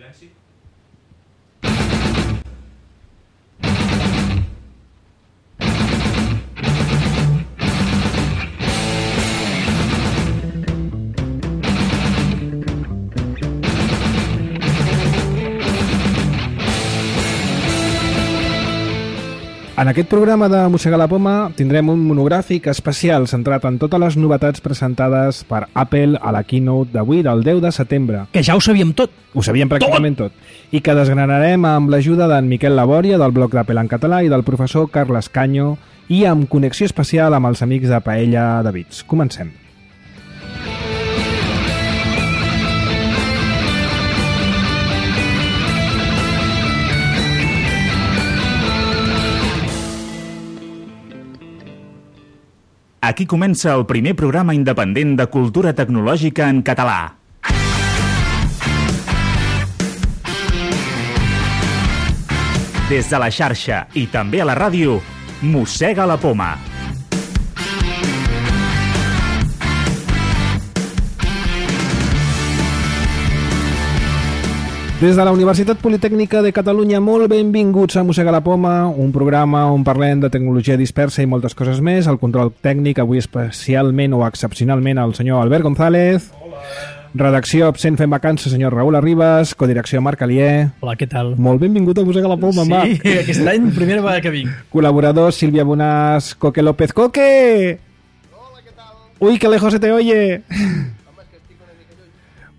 Silenci. En aquest programa de Mossegar la Poma tindrem un monogràfic especial centrat en totes les novetats presentades per Apple a la keynote d'avui, del 10 de setembre. Que ja ho sabíem tot. Ho sabíem pràcticament tot. I que desgranarem amb l'ajuda d'en Miquel Labòria, del blog d'Apple en català, i del professor Carles Canyo, i amb connexió especial amb els amics de Paella de Bits. Comencem. Aquí comença el primer programa independent de cultura tecnològica en català. Des de la xarxa i també a la ràdio, Mossega la Poma. Des de la Universitat Politècnica de Catalunya, molt benvinguts a Mossega la Poma, un programa on parlem de tecnologia dispersa i moltes coses més. El control tècnic, avui especialment o excepcionalment, el senyor Albert González. Hola. Redacció absent fent vacances, senyor Raül Arribas. Codirecció Marc Alier. Hola, què tal? Molt benvingut a Mossega la Poma, sí, Marc. Sí, aquest any, primera vegada que vinc. Col·laborador Sílvia Bonàs, Coque López. Coque! Hola, ¿qué tal? Uy, que lejos se te oye.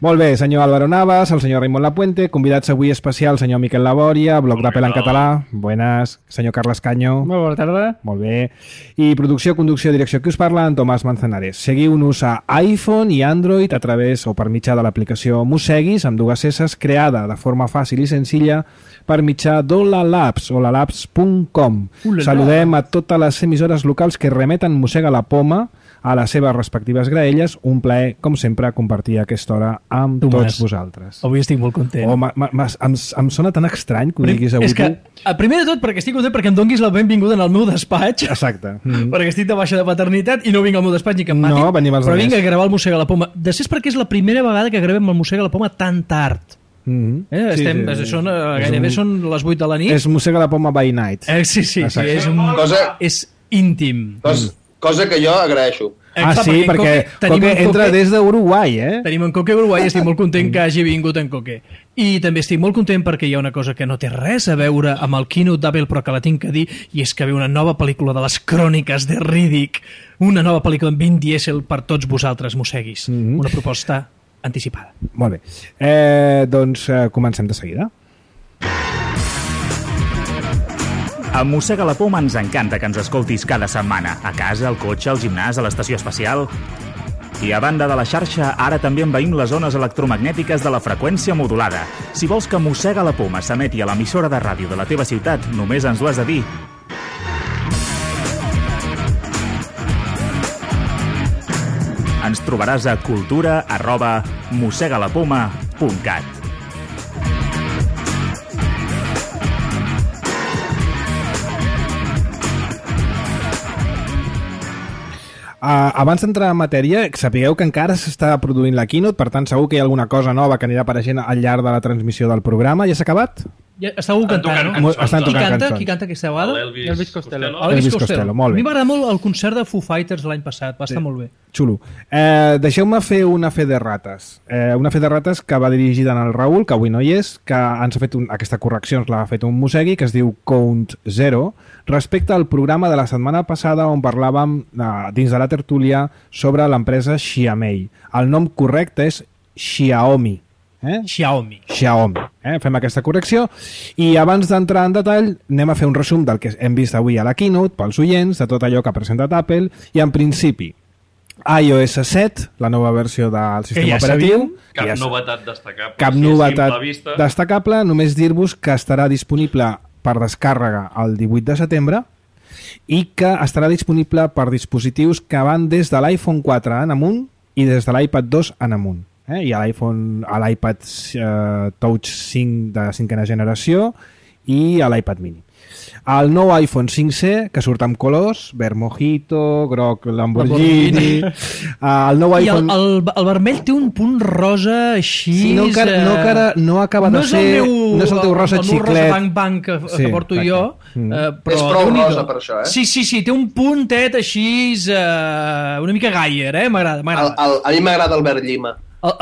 Molt bé, senyor Álvaro Navas, el senyor Raimon Lapuente, convidats avui especial, senyor Miquel Labòria, blog d'Apple en català. Buenas, senyor Carles Canyo. Molt bona tarda. Molt bé. I producció, conducció, direcció, que us parla, en Tomàs Manzanares. Seguiu-nos a iPhone i Android a través o per mitjà de l'aplicació Mosseguis, amb dues S's, creada de forma fàcil i senzilla per mitjà d'Olalabs, olalabs.com. Saludem a totes les emissores locals que remeten Mossega la Poma a les seves respectives graelles. Un plaer, com sempre, compartir aquesta hora amb tots vosaltres. Avui estic molt content. Em sona tan estrany que ho diguis avui. És que, primer de tot, perquè estic content perquè em donguis la benvinguda en el meu despatx. Exacte. Perquè estic de baixa de paternitat i no vinc al meu despatx ni que em matin. No, venim els però diners. vinc a gravar el Mossega la Poma. Després perquè és la primera vegada que gravem el Mossega la Poma tan tard. Gairebé són les 8 de la nit. És Mossega la Poma by night. Sí, és íntim. Cosa que jo agraeixo. Sí, perquè Coque entra des d'Uruguai, Tenim en Coque a Uruguai i estic molt content que hagi vingut en Coque. I també estic molt content perquè hi ha una cosa que no té res a veure amb el keynote d'Apple, però que la tinc que dir, i és que ve una nova pel·lícula de les cròniques de Riddick, una nova pel·lícula amb Vin Diesel per tots vosaltres, mosseguis. Una proposta anticipada. Molt bé. Doncs comencem de seguida. A Mossega la Poma ens encanta que ens escoltis cada setmana, a casa, al cotxe, al gimnàs, a l'estació espacial. I a banda de la xarxa, ara també envaïm les zones electromagnètiques de la freqüència modulada. Si vols que Mossega la Poma s'emeti a l'emissora de ràdio de la teva ciutat, només ens ho has de dir. Ens trobaràs a cultura@mossegalapoma.cat. Abans d'entrar en matèria, sapigueu que encara s'està produint la keynote, per tant segur que hi ha alguna cosa nova que anirà apareixent al llarg de la transmissió del programa. Ja s'ha acabat? Ja, està algú cantant, no? Estan tocant cançons. Qui canta aquesta vegada? Elvis Costello. Elvis Costello, molt bé. A mi m'agrada molt el concert de Foo Fighters l'any passat, va estar molt bé. Xulo. Deixeu-me fer una fe de rates. Una fe de rates que va dirigida en el Raül, que avui no hi és, que ens ha fet aquesta correcció, ens l'ha fet un mossegui, que es diu Count Zero, respecte al programa de la setmana passada on parlàvem dins de la tertúlia sobre l'empresa Xiaomi. El nom correcte és Xiaomi. Xiaomi. Fem aquesta correcció i abans d'entrar en detall anem a fer un resum del que hem vist avui a la keynote pels oients, de tot allò que ha presentat Apple. I en principi iOS 7, la nova versió del sistema operatiu. Cap novetat destacable. Cap novetat destacable, només dir-vos que estarà disponible per descàrrega el 18 de setembre i que estarà disponible per dispositius que van des de l'iPhone 4 en amunt i des de l'iPad 2 en amunt. Hi ha l'iPad Touch 5 de 5ª generació i l'iPad mini. El nou iPhone 5C, que surt amb colors, verd mojito, groc Lamborghini. El nou I iPhone... el vermell té un punt rosa així... Sí, no acaba de ser... No és el teu rosa xiclet. El meu rosa bang que porto jo. És prou rosa per això, Sí, té un puntet així una mica Gaier, m'agrada. A mi m'agrada el verd llima.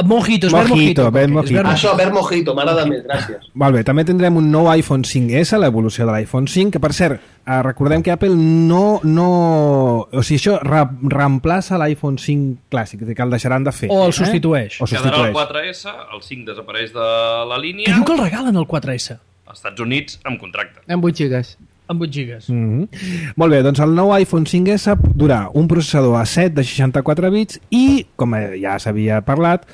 Mojito, verd mojito. Això, verd mojito, m'agrada més, gràcies. Molt bé, també tindrem un nou iPhone 5S, l'evolució de l'iPhone 5, que per cert, recordem que Apple no... O sigui, això reemplaça l'iPhone 5 clàssic, que el deixaran de fer. O el substitueix. Quedarà el 4S, el 5 desapareix de la línia... Que diu que el regalen el 4S. Als Estats Units amb contracte. Amb 8 gigas. Amb 8 gigas. Molt bé, doncs el nou iPhone 5S durà un processador A7 de 64 bits i, com ja s'havia parlat,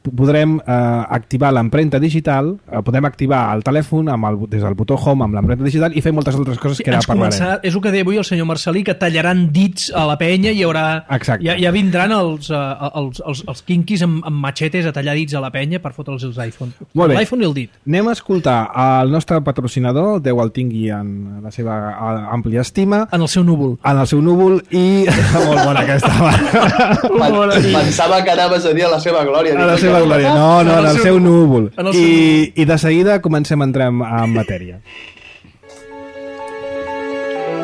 podrem activar l'empremta digital, podem activar el telèfon des del botó Home amb l'empremta digital i fer moltes altres coses que ara parlarem. És el que deia avui el senyor Marcelí, que tallaran dits a la penya i hi haurà... Ja vindran els quinquis amb machetes a tallar dits a la penya per fotre'ls els iPhone. L'iPhone i el dit. Anem a escoltar el nostre patrocinador, Déu el tingui en la seva àmplia estima. En el seu núvol. En el seu núvol i... Molt bona aquesta. Pensava que anaves a dir a la seva glòria. A la seva glòria. No, en el seu núvol. I de seguida comencem a entrar en matèria.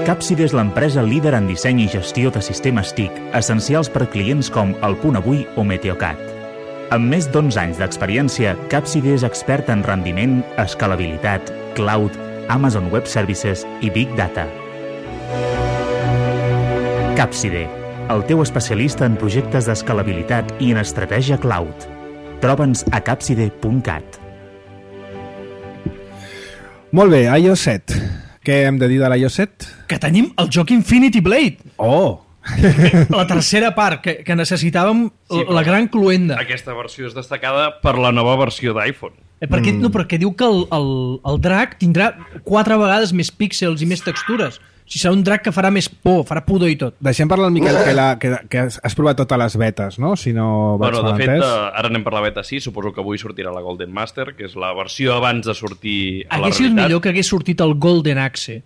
Capside és l'empresa líder en disseny i gestió de sistemes TIC, essencials per clients com El Punt Avui o Meteocat. Amb més d'11 anys d'experiència, Capside és expert en rendiment, escalabilitat, cloud, Amazon Web Services i Big Data. Capside, el teu especialista en projectes d'escalabilitat i en estratègia cloud. Troba'ns a capside.cat. Molt bé, iOS 7. Què hem de dir de l'iOS 7? Que tenim el joc Infinity Blade. Oh! La tercera part, que necessitàvem la gran cluenda. Aquesta versió és destacada per la nova versió d'iPhone. Perquè diu que el drac tindrà 4 vegades més píxels i més textures. O sigui, serà un drac que farà més por, farà pudor i tot. Deixem parlar el Miquel, que has provat totes les betes, no? Si no vaig de fet, ara anem per la beta 6, suposo que avui sortirà la Golden Master, que és la versió abans de sortir a la realitat. Hauria sigut millor que hagués sortit el Golden Axe.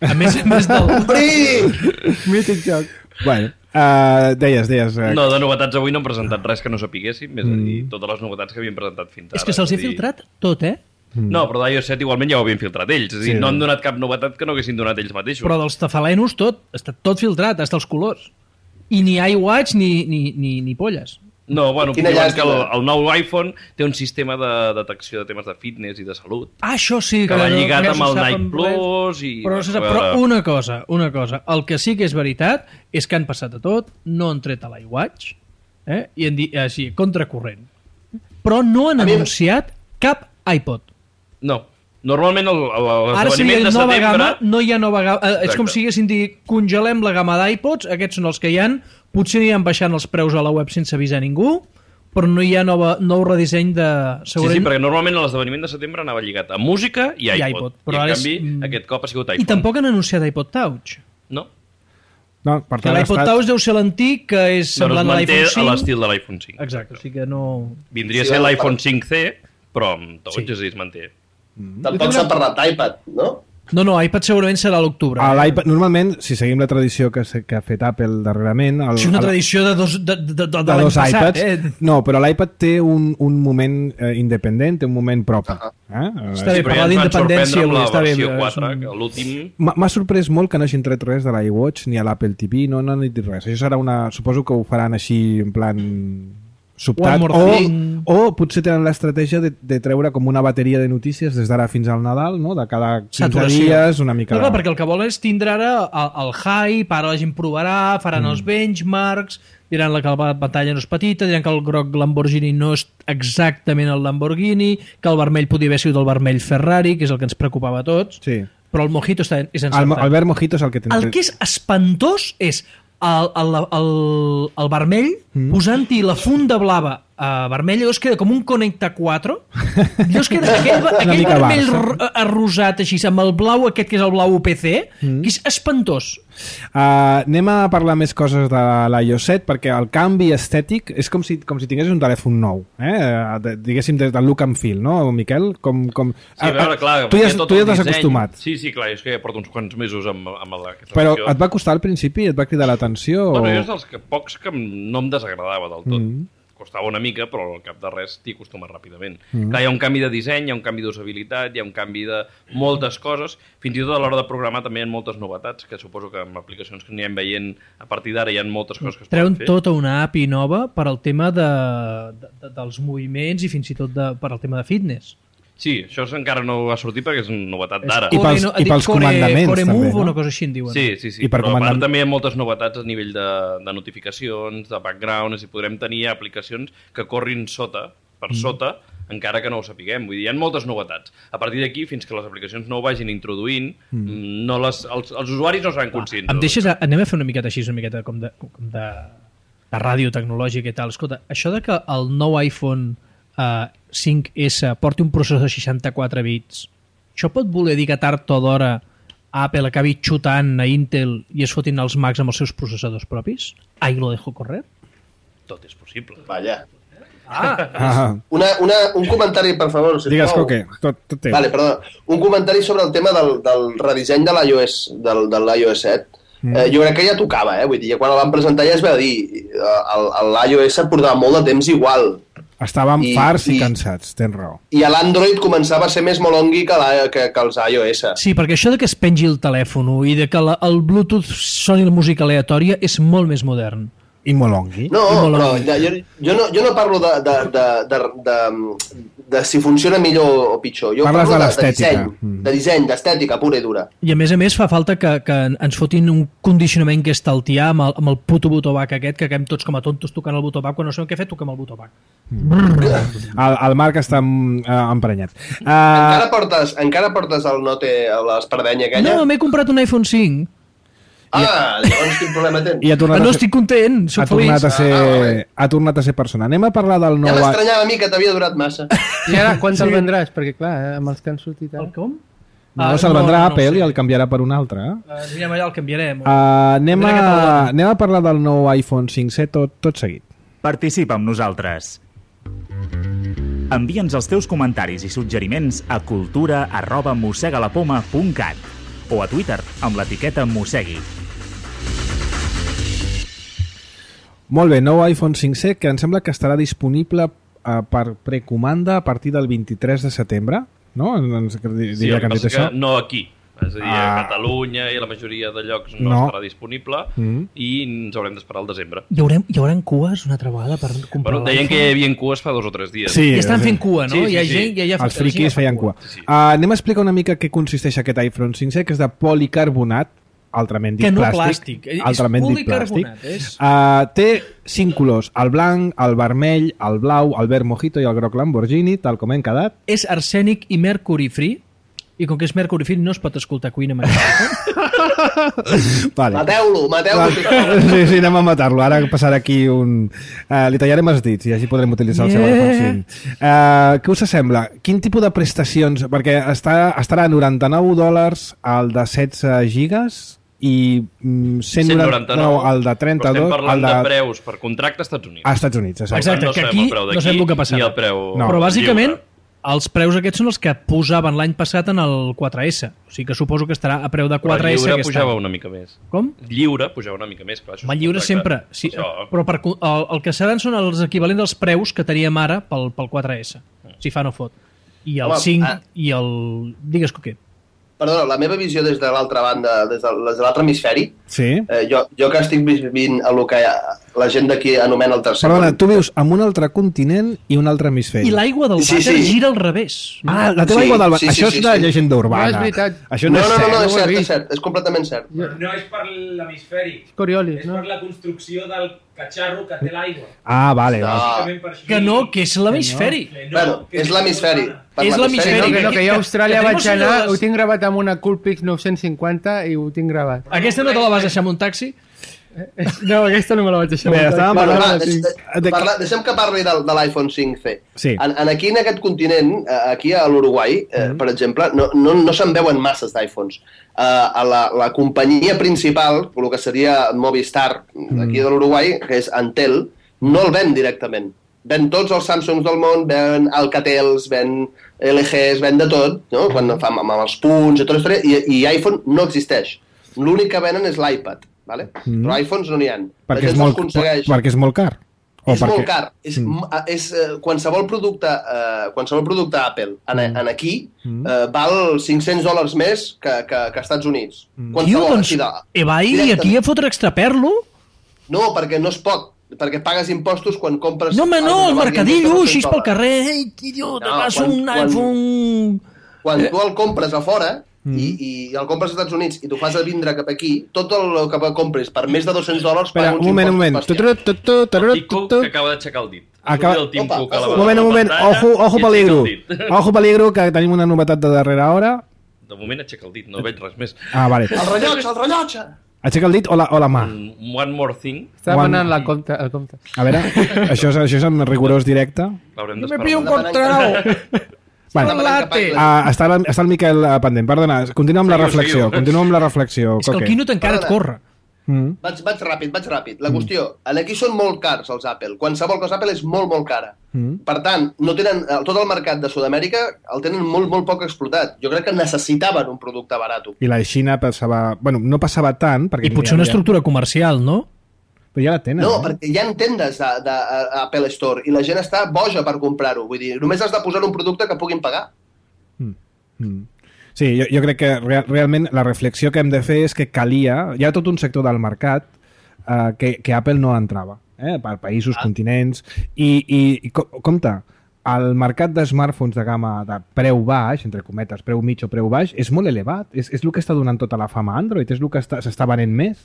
A més del... Mític joc. Bueno, deies... No, de novetats avui no hem presentat res que no sapiguéssim, és a dir, totes les novetats que havien presentat fins ara. És que se'ls he filtrat tot, No, però d'iOS 7 igualment ja ho havien filtrat ells. És a dir, no han donat cap novetat que no haguessin donat ells mateixos. Però dels tafalenos tot, està tot filtrat, hasta els colors. I ni iWatch ni polles. No, bueno, que el nou iPhone té un sistema de detecció de temes de fitness i de salut. Això sí. Que va lligat amb el Nike Plus i... Però una cosa. El que sí que és veritat és que han passat a tot, no han tret a l'iWatch, i han dit així, contracorrent. Però no han anunciat cap iPod. No. Normalment l'esdeveniment de setembre... Gamma, no hi ha nova gamma. És com si haguessin dit, congelem la gamma d'iPods, aquests són els que hi han, potser aniran baixant els preus a la web sense avisar ningú, però no hi ha nou redisseny de... Sí, perquè normalment l'esdeveniment de setembre anava lligat a música i iPod. I en canvi, aquest cop ha sigut iPhone. I tampoc han anunciat iPod Touch. No. No, per tant, l'iPod Touch deu ser l'antic, que és semblant a l'iPhone 5. A l'estil de l'iPhone 5. Exacte, o sigui que no... Vindria a ser l'iPhone 5C, però amb Touch es manté. Tampoc s'ha parlat d'iPad, no? No, iPad segurament serà a l'octubre. Normalment, si seguim la tradició que ha fet Apple darrerament... És una tradició de dos iPads. No, però l'iPad té un moment independent, té un moment propi. Està bé, parlar d'independència. Està bé. L'últim... M'ha sorprès molt que no hagin tret res de l'iWatch ni a l'Apple TV, no han dit res. Això serà suposo que ho faran així en plan... sobtat, o potser tenen l'estratègia de treure com una bateria de notícies des d'ara fins al Nadal, no? De cada 15 dies, una mica... No, clar, perquè el que vol és tindre ara el hype, ara la gent provarà, faran els benchmarks, diran que la pantalla no és petita, diran que el groc Lamborghini no és exactament el Lamborghini, que el vermell podia haver sigut el vermell Ferrari, que és el que ens preocupava a tots, però el Mojito és encertat. El verd Mojito és el que... El que és espantós és el vermell posant-hi la funda blava vermella, llavors queda com un Connecta 4, llavors queda aquell vermell arrosat així, amb el blau aquest que és el blau UPC, que és espantós. Anem a parlar més coses de l'iOS 7, perquè el canvi estètic és com si tinguessis un telèfon nou, diguéssim des del look and feel, no, Miquel? Sí, a veure, clar, tu ja t'has acostumat. Sí, clar, és que ja porto uns quants mesos amb aquesta Però versió. et va costar al principi? Et va cridar l'atenció? Bueno, jo és dels pocs que no em desagradava del tot. Costava una mica, però al cap de res t'hi acostumes ràpidament. Clar, hi ha un canvi de disseny, hi ha un canvi d'usabilitat, hi ha un canvi de moltes coses. Fins i tot a l'hora de programar també hi ha moltes novetats, que suposo que amb aplicacions que anirem veient a partir d'ara hi ha moltes coses que es Treuen poden fer. tota una API nova per al tema dels moviments i fins i tot per al tema de fitness. Sí, això encara no va sortir perquè és una novetat d'ara. I pels comandaments, Core també, Move no? o una cosa així en diuen. Sí. I per Però a comandar- part també hi ha moltes novetats a nivell de notificacions, de background, i podrem tenir aplicacions que corrin per sota, encara que no ho sapiguem. Vull dir, hi ha moltes novetats. A partir d'aquí, fins que les aplicacions no ho vagin introduint, els usuaris no seran conscients. Em deixes, anem a fer una miqueta així, una miqueta com de ràdio tecnològica i tal. Escolta, això de que el nou iPhone 5S porti un processor de 64 bits, això pot voler dir que tard o d'hora Apple acabi xutant a Intel i es fotin els Macs amb els seus processadors propis? Ahí lo dejo correr? Tot és possible. Vaya. Ah, Un comentari, per favor, sisplau. digues, Coque, tot té. Vale, perdó. Un comentari sobre el tema del redisseny de l'iOS, de l'iOS 7. Jo crec que ja tocava, vull dir, quan el van presentar ja es va dir l'iOS portava molt de temps igual. Estàvem farts i cansats, tens raó. I a l'Android començava a ser més molongui que els iOS. Sí, perquè això de que es pengi el telèfon i de que el Bluetooth soni la música aleatòria és molt més modern. I molongui. No, però jo no parlo de si funciona millor o pitjor. Jo Parles parlo de l'estètica. de disseny, d'estètica pura i dura. I a més fa falta que ens fotin un condicionament que estaltià amb el puto botó bac aquest, que quedem tots com a tontos tocant el botó bac, quan no sabem què fer, toquem el botó bac. El Marc està emprenyat. Encara portes el Note a l'espardenya aquella? No, m'he comprat un iPhone 5. Llavors quin problema tens? I ha tornat No estic content, soc feliç. ha tornat a ser persona. Anem a parlar del nou... Ja m'estranyava a mi que t'havia durat massa. I ara, quan te'l vendràs? Perquè, clar, amb els que han sortit El ara... com? No, se'l vendrà Apple i el canviarà per un altre. Anirem allà, el canviarem. Anem a parlar del nou iPhone 5C tot seguit. Participa amb nosaltres. Envia'ns els teus comentaris i suggeriments a cultura@mossegalapoma.cat o a Twitter amb l'etiqueta Mossegui. Molt bé, nou iPhone 5C que em sembla que estarà disponible per precomanda a partir del 23 de setembre, no? Sí, el que passa que no aquí. És a dir, a Catalunya i a la majoria de llocs no estarà disponible i ens haurem d'esperar al desembre. Hi haurà cues una altra vegada per comprar Bueno, deien que hi havia cues fa 2 o 3 dies. Sí, I estan fent cua, no? Sí, Hi ha gent que ja fa... Els friquis feien cua. Sí. Anem a explicar una mica què consisteix aquest iPhone 5C, que és de policarbonat, altrament dit Que no plàstic. plàstic, és Altrament dit plàstic. policarbonat. Té 5 colors, el blanc, el vermell, el blau, el verd mojito i el groc Lamborghini, tal com hem quedat. És arsènic i mercury free, i com que és mercury free no es pot escoltar Queen amb aquest iPhone. Vale. Mateu-lo. Sí, anem a matar-lo. Ara passarà aquí un... li tallarem els dits i així podrem utilitzar el seu iPhone 5. Què us sembla? Quin tipus de prestacions? Perquè estarà a $99 el de 16 gigas i 199 el de 32... Però estem parlant de preus per contracte als Estats Units. A Estats Units, exacte. Exacte, que aquí no sabem el que passarà. Ni el preu Però bàsicament lliure. els preus aquests són els que posaven l'any passat en el 4S. O sigui que suposo que estarà a preu de 4S Però lliure aquest pujava any. una mica més. Com? Lliure pujava una mica més. Clar, això Home, és lliure contracte. sempre. Sí, Això. però el que seran són els equivalents als preus que teníem ara pel 4S. Si fa no fot. I el Home, 5 i el... Digues, Coquet. Perdona, la meva visió des de l'altra banda, des de l'altre hemisferi, Sí. jo que estic vivint el que la gent d'aquí anomena el tercer Perdona, món. tu vius en un altre continent i un altre hemisferi. I l'aigua del Sí, vàter sí. gira al revés. Ah, la teva Sí, aigua del sí, Això sí, és de sí. llegenda urbana. No, és veritat. Això No, no és cert. és ho he cert, vist. és cert, és completament cert. No és per l'hemisferi, Coriolis, és no? per la construcció del catxarro que té l'aigua. Ah, vale. No. Bàsicament per això. Que no, que és l'hemisferi. Que Bueno, que és l'hemisferi. Per És l'hemisferi. No, que jo a Austràlia que vaig tengo anar, seguidors. ho tinc gravat amb una Coolpix 950 i ho tinc gravat. Aquesta no te la vas deixar amb un taxi? No, aquesta no me la vaig deixar. Bé, estàvem Bueno, parlant... va, deixem que parli de l'iPhone 5C. Sí. Aquí en aquest continent, aquí a l'Uruguai, per exemple, no se'n veuen masses d'iPhones. A la companyia principal, el que seria Movistar, d'aquí de l'Uruguai, que és Antel, no el ven directament. Ven tots els Samsungs del món, ven Alcatels, ven LGs, ven de tot, no? Quan fa amb els punts i tota la història, i iPhone no existeix. L'únic que venen és l'iPad, ¿vale? Però iPhones no n'hi ha. Perquè és molt car. És molt car. És qualsevol producte Apple aquí val $500 més que als Estats Units. Tio, doncs, vai aquí a fotre extraperlo? No, perquè no es pot. Perquè pagues impostos quan compres... No, home, no, el mercadillo, així pel carrer. Ei, tio, te vas un iPhone... Quan tu el compres a fora i el compres als Estats Units i t'ho fas a vindre cap aquí, tot el que compres per més de $200 paga uns impostos. Un moment. El Tim Cook que acaba d'aixecar el dit. Un moment. Ojo peligro. Ojo peligro, que tenim una novetat de darrera hora. De moment aixeca el dit, no veig res més. Ah, vale. El rellotge! Aixeca el dit o la mà? One more thing. Estava anant el compte. A veure, això és en rigorós directe. L'haurem Me pillo un contrao. Està el Miquel pendent. Perdona, continua amb la reflexió. És que el Quinut encara et corre. Vaig ràpid. La qüestió, aquí són molt cars els Apple. Qualsevol cosa Apple és molt cara. Per tant, no tenen tot el mercat de Sud-amèrica el tenen molt poc explotat. Jo crec que necessitaven un producte barat. I la Xina passava... Bueno, no passava tant... I potser una estructura comercial, no? Però ja la tenen. No, perquè hi ha tendes d'Apple Store i la gent està boja per comprar-ho. Vull dir, només has de posar un producte que puguin pagar. Sí, jo crec que realment la reflexió que hem de fer és que calia... Hi ha tot un sector del mercat que Apple no entrava, per països, continents, i compte, el mercat de smartphones de gamma de preu baix, entre cometes, preu mig o preu baix, és molt elevat. És el que està donant tota la fama a Android, és el que s'està venent més.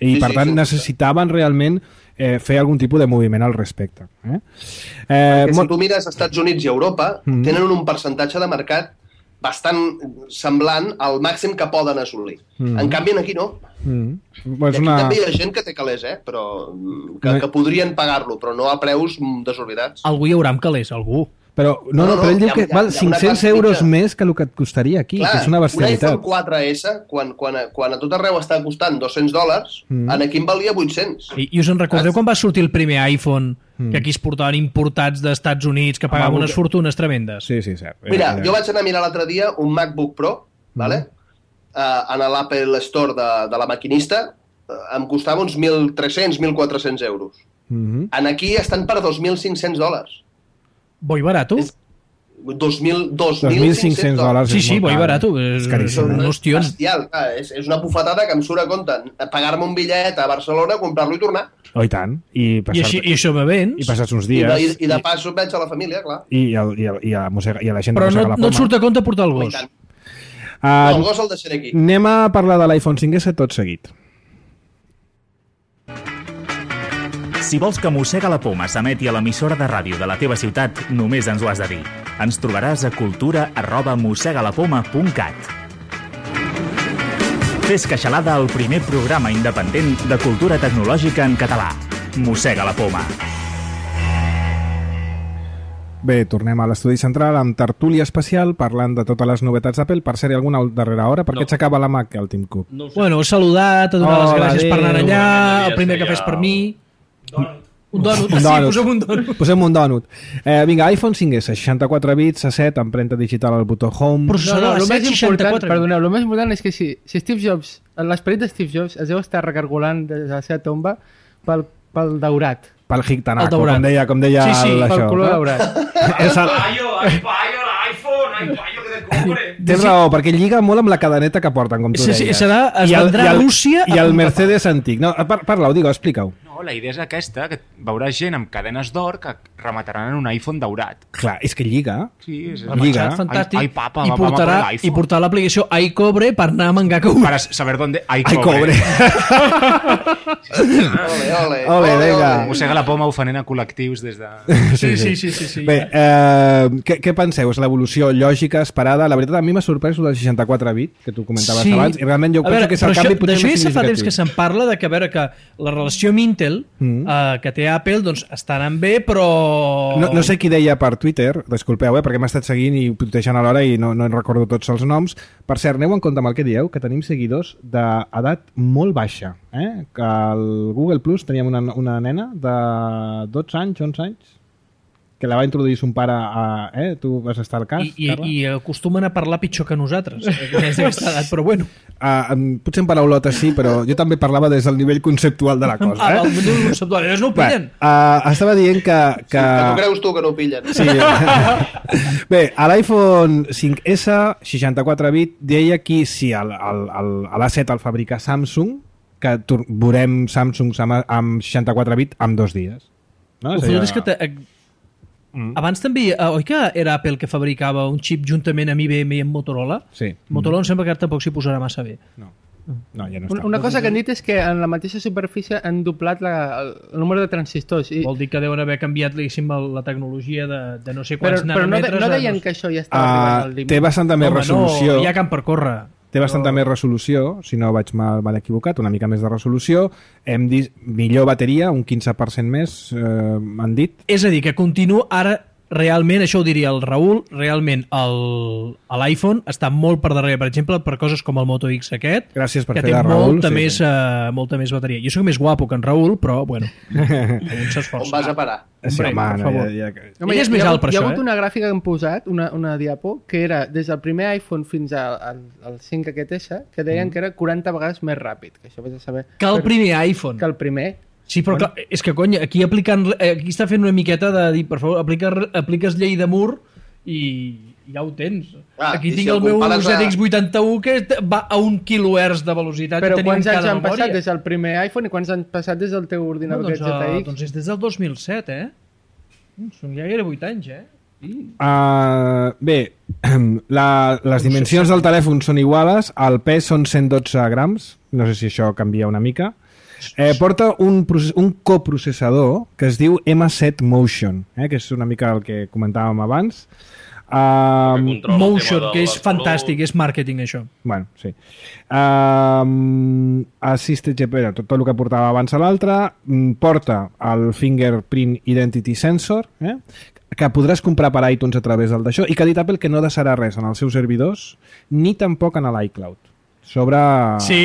I per tant necessitaven realment fer algun tipus de moviment al respecte. Perquè si tu mires als Estats Units i Europa, tenen un percentatge de mercat bastant semblant al màxim que poden assolir. En canvi, aquí no. I aquí també hi ha gent que té calés, però que podrien pagar-lo, però no a preus desorbitats. Algú hi haurà amb calés, algú. Però però ell diu que val 500 euros més que el que et costaria aquí, que és una bestialitat. Un iPhone 4S, quan a tot arreu està costant $200, aquí en valia 800. I us en recordeu quan va sortir el primer iPhone, que aquí es portaven importats d'Estats Units, que pagaven unes fortunes tremendes? Sí, cert. Mira, jo vaig anar a mirar l'altre dia un MacBook Pro, vale? En l'Apple Store de la maquinista, em costava uns 1.300, 1.400 euros. Aquí estan per $2.500. Boi barato? $2.500. Sí, boi barato. És caríssim. Bestial. És una bufetada que em surt a compte pagar-me un bitllet a Barcelona, comprar-lo i tornar. Oh, i tant. I això va bé. I passats uns dies. I de pas veig a la família, clar. I a la gent però de la poma. No et surt a compte portar el gos. El gos el deixaré aquí. Anem a parlar de l'iPhone 5S tot seguit. Si vols que Mossega la Poma s'emeti a l'emissora de ràdio de la teva ciutat, només ens ho has de dir. Ens trobaràs a cultura@mossegalapoma.cat. Fes queixalada al primer programa independent de cultura tecnològica en català. Mossega la Poma. Bé, tornem a l'estudi central amb tertúlia especial parlant de totes les novetats d'Apple. Per ser-hi alguna darrera hora, per què s'acaba la Mac, el Tim Cook? No ho sé. Bueno, he saludat, he donat les gràcies per anar allà, el primer que fes per mi... Un donut. Posem un donut. Vinga, iPhone 5S, 64 bits, A7, empremta digital al botó Home... Processador el més important, 64. perdoneu, el més important és que si Steve Jobs, l'esperit de Steve Jobs es deu estar recargolant de la seva tomba pel daurat. Pel Hictanaco, com deia sí, pel color daurat. iPhone, que te compre. Tens raó, perquè lliga molt amb la cadeneta que porten, com tu deies. Es vendrà a Rússia... I el Mercedes antic. No, parla-ho, explica-ho. No, No, la idea és aquesta, que veuràs gent amb cadenes d'or que remataran en un iPhone daurat. Clar, és que lliga. Sí, és Lliga. Fantàstic. Ai, papa, I vamos a por el portarà, iPhone. i portarà l'aplicació iCobre per anar a Mangaka. Para saber dónde hay Ai, cobre. Ole, Ole, vinga. Mossega la poma ofenent a col·lectius des de... Sí. Bé, què penseu? És l'evolució lògica, esperada? La veritat, a mi m'ha sorprès el del 64 bit, que tu comentaves abans, i realment jo penso que és el canvi potser més D'això ja fa temps que significatiu. se'n parla, de que, a veure, que la relació amb Intel, que té Apple, doncs està anant bé, però... No sé qui deia per Twitter, disculpeu, perquè m'ha estat seguint i tutejant alhora i no recordo tots els noms. Per cert, aneu en compte amb el que dieu, que tenim seguidors d'edat molt baixa. Que al Google Plus teníem una nena de 12 anys, 11 anys, que la va introduir son pare a... Tu vas estar al cas, Carla? I acostumen a parlar pitjor que nosaltres, més d'aquesta edat, però bueno. Potser en paraulotes sí, però jo també parlava des del nivell conceptual de la cosa. El nivell conceptual, ells no ho pillen. Estava dient que... Que tu creus tu que no ho pillen. Sí. Bé, a l'iPhone 5S 64 bit deia aquí si l'A7 el fabrica Samsung, que veurem Samsung amb 64 bit en 2 dies. No? Ho fot és que... Abans també, oi que era Apple que fabricava un xip juntament amb IBM i amb Motorola? Sí. Motorola em sembla que ara tampoc s'hi posarà massa bé. No, ja no està. Una cosa que han dit és que en la mateixa superfície han doblat el número de transistors. Vol dir que deuen haver canviat la tecnologia de no sé quants però nanòmetres. no deien que això ja estava arribant al límit. Té bastanta més resolució. No, hi ha camp per córrer. Té bastanta més resolució, si no vaig mal equivocat, una mica més de resolució. Hem dit millor bateria, un 15% més, han dit. És a dir, que continua ara, realment, això ho diria el Raül, realment l'iPhone està molt per darrere, per exemple, per coses com el Moto X aquest, Gràcies per que fer té de Raül. molta més bateria. Jo soc més guapo que en Raül, però, bueno, un s'esforça. On vas a parar? Sí, Hombre, home, per favor. Home, Ell és més alt per hi ha això, hagut una gràfica que hem posat, una diapo, que era des del primer iPhone fins al 5 aquest S, que deien que era 40 vegades més ràpid. Que això vés a saber. Que el primer iPhone. Que el primer. Sí, però clar, és que, cony, aquí està fent una miqueta de dir, per favor, apliques llei de Moore i ja ho tens. Aquí tinc el meu ZX81 que va a 1 kHz de velocitat. Però quants anys han passat des del primer iPhone i quants han passat des del teu ordinador ZX? Doncs és des del 2007, Són ja gairebé 8 anys, Bé, les dimensions del telèfon són iguales, el pes són 112 grams, no sé si això canvia una mica. Porta un coprocessador que es diu M7 Motion, que és una mica el que comentàvem abans. Motion, que és fantàstic, és màrqueting, això. Bueno, sí. Assisted GPS, tot el que portava abans a l'altre. Porta el Fingerprint Identity Sensor, que podràs comprar per iTunes a través del d'això, i que ha dit Apple que no deixarà res en els seus servidors, ni tampoc en l'iCloud. Sí,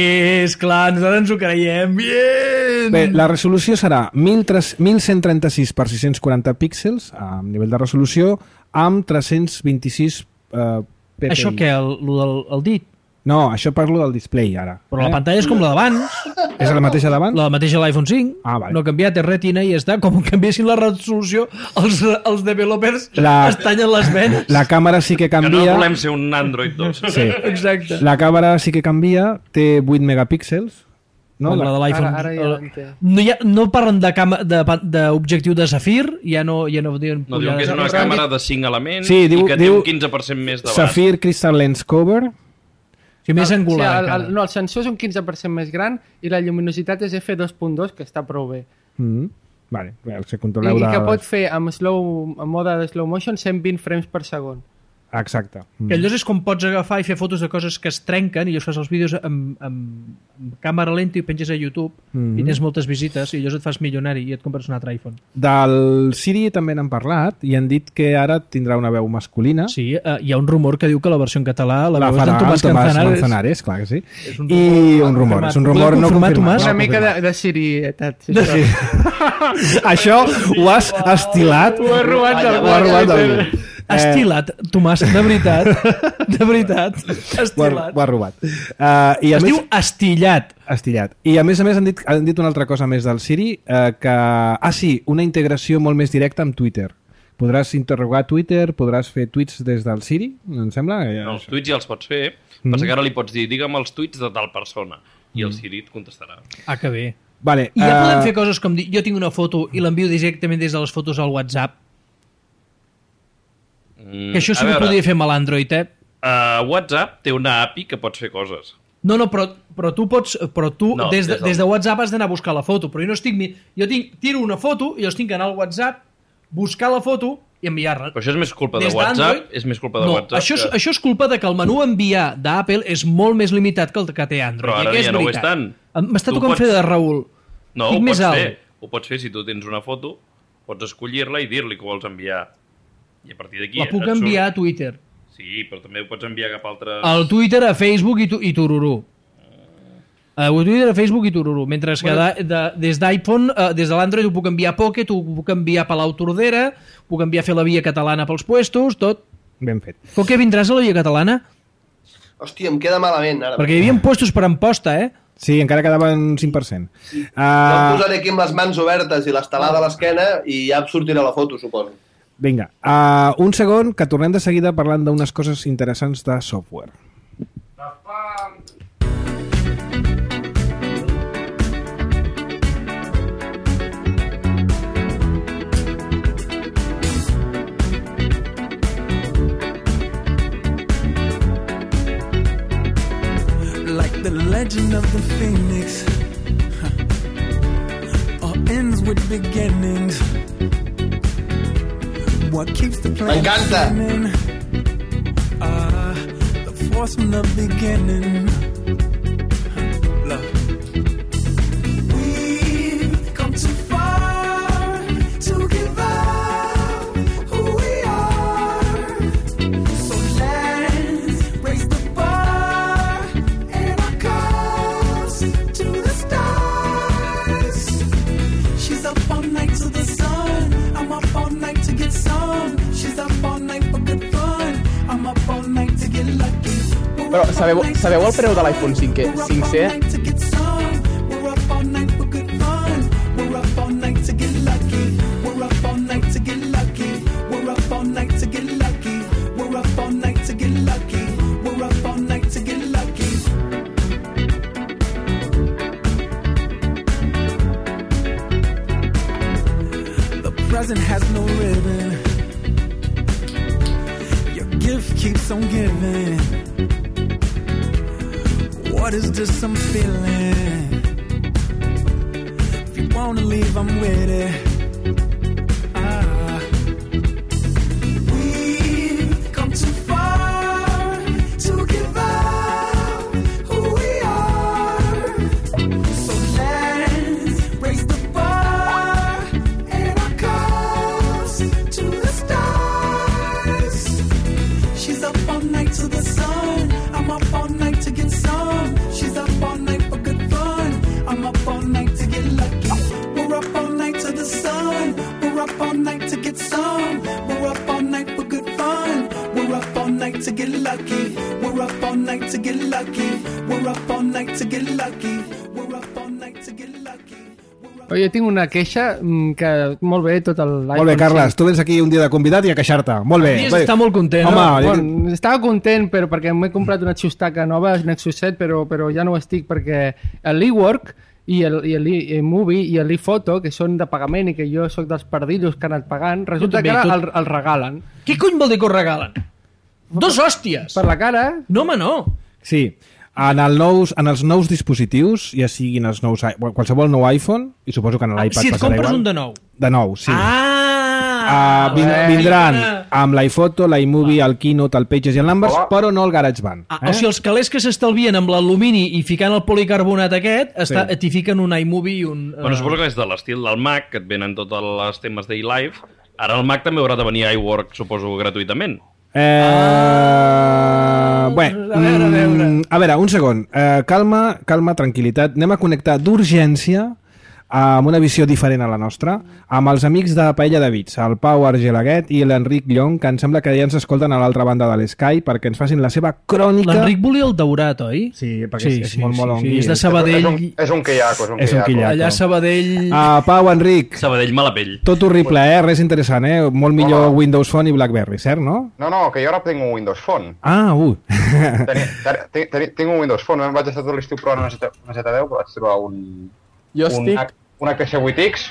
esclar, nosaltres ens ho creiem. Bien! Bé, la resolució serà 1136 per 640 píxels a nivell de resolució amb 326 ppi. Això què, el dit? No, això parlo del display ara. Però la pantalla és com la d'abans. És la mateixa d'abans? La mateixa de l'iPhone 5. Vale. No ha canviat, és retina i ja està. Com canviessin la resolució, els developers es tallen les venes. La càmera sí que canvia. Que no volem ser un Android 2. Sí. Exacte. La càmera sí que canvia, té 8 megapíxels. No, la de l'iPhone. Ara ja l'entenc. No parlen d'objectiu de Safir, ja no diuen... No, diuen que és una càmera de 5 elements i que té un 15% més de baix. Safir Crystal Lens Cover. Sí, més angular. No, el sensor és un 15% més gran i la lluminositat és f2.2, que està prou bé. Vale, si controleu I que pot fer amb mode de slow motion 120 frames per segon. Exacte. Que allò és com pots agafar i fer fotos de coses que es trenquen i llavors fas els vídeos amb càmera lenta i penges a YouTube i tens moltes visites i llavors et fas milionari i et compres un altre iPhone. Del Siri també n'han parlat i han dit que ara tindrà una veu masculina. Sí, hi ha un rumor que diu que la versió en català la veu és farà d'en Tomàs Manzanares, clar que sí. És un rumor no confirmat. Una mica de Siri-etat. Sí. Això ho has estilat. Ho has robat d'algú. Estilat, Tomàs, de veritat. De veritat. Estilat. Ho ha robat. Es diu estillat. Estillat. I a més han dit una altra cosa més del Siri, que... sí, una integració molt més directa amb Twitter. Podràs interrogar Twitter, podràs fer tuits des del Siri, em sembla? No, els tuits ja els pots fer, passa que ara li pots dir digue'm els tuits de tal persona i el Siri et contestarà. Que bé. Vale, I ja podem fer coses com dir, jo tinc una foto i l'envio directament des de les fotos al WhatsApp. Que això sí que ho podria fer amb l'Android, WhatsApp té una API que pots fer coses. No, però tu pots... Però tu No, des de WhatsApp has d'anar a buscar la foto, però jo no estic... Jo tiro una foto i llavors tinc que anar al WhatsApp, buscar la foto i enviar-la. Però això és més culpa de WhatsApp? És més culpa de WhatsApp? Això és culpa de que el menú enviar d'Apple és molt més limitat que el que té Android. Però ara ja no ho és tant. M'està tocant fer de Raül. No, ho pots fer si tu tens una foto, pots escollir-la i dir-li que vols enviar. I a partir d'aquí... La puc enviar a Twitter. Sí, però també ho pots enviar cap a altres... Al Twitter, a Facebook i Tururú. A Twitter, a Facebook i Tururú. Mentre que des d'iPhone, des de l'Android ho puc enviar a Pocket, ho puc enviar a Palau Tordera, puc enviar a fer la via catalana pels puestos, tot. Ben fet. Coque, vindràs a la via catalana? Hòstia, em queda malament ara. Perquè hi havia puestos per Amposta, Sí, encara quedava un 5%. Jo em posaré aquí amb les mans obertes i l'estelada a l'esquena i ja em sortirà la foto, suposo. Vinga, un segon, que tornem de seguida parlant d'unes coses interessants de software. Like the legend of the phoenix, all ends with beginnings. What keeps the plan spinning? The force from the beginning. Love. We've come too far to give up who we are. So let's raise the bar and our cups to the stars. She's up all night to the sun. I'm up all night to get some. She's up all night for good fun. I'm up all night to get lucky. Però sabeu el preu de l'iPhone 5C? We're up all night for good fun. We're up all night to get lucky. We're up all night to get lucky. We're up all night to get lucky. We're up all night to get lucky. We're up all night to get lucky. The present has no ribbon. Your gift keeps on giving. What is this I'm feeling? If you wanna leave, I'm with it. We've come too far to give up who we are. So let's raise the bar and our cups to the stars. She's up all night to the sun. I'm up all night to get some. She's up all night for good fun. I'm up all night to get lucky. We're up all night to the sun. We're up all night to get some. We're up all night for good fun. We're up all night to get lucky. We're up all night to get lucky. We're up all night to get lucky. We're up all night to get lucky. Jo tinc una queixa que molt bé tot l'iPhone. Molt bé, Carles, tu vens aquí un dia de convidat i a queixar-te. Molt bé. Està molt content. Home, Bueno, estava content perquè m'he comprat una xustaca nova, Nexus 7, però ja no ho estic perquè l'eWork i l'eMovie i l'ePhoto, que són de pagament i que jo sóc dels pardillos que han anat pagant, resulta que ara el regalen. Què cony vol dir que ho regalen? Dos hòsties! Per la cara? No, home, no. Sí, en els nous dispositius, ja siguin els nous, qualsevol nou iPhone, i suposo que en l'iPad si et passarà compres igual. un de nou. De nou, sí. Vindran amb l'iPhoto, l'iMovie, el Keynote, el Pages i el Numbers, però no el GarageBand. O sigui, els calés que s'estalvien amb l'alumini i ficant el policarbonat aquest, t'hi fiquen un iMovie i un... Bueno, suposo que és de l'estil del Mac, que et venen tots els temes d'iLive. Ara el Mac també haurà de venir a iWork, suposo, gratuïtament. A veure, un segon. Calma, tranquil·litat. Anem a connectar d'urgència amb una visió diferent a la nostra, amb els amics de Paella de Bits, el Pau Argelaguet i l'Enric Llong, que em sembla que ja ens escolten a l'altra banda de l'Sky perquè ens facin la seva crònica... L'Enric volia el daurat, oi? Sí, perquè és molt sí, és de Sabadell. És un quillaco. Allà a Sabadell... Pau, Enric. Sabadell, mala pell. Tot horrible, res interessant, Molt millor Windows Phone i BlackBerry, cert, no? No, que jo ara tinc un Windows Phone. Tinc un Windows Phone, vaig estar tot l'estiu provant una Z10, però vaig trobar un Jo estic... un HTC 8X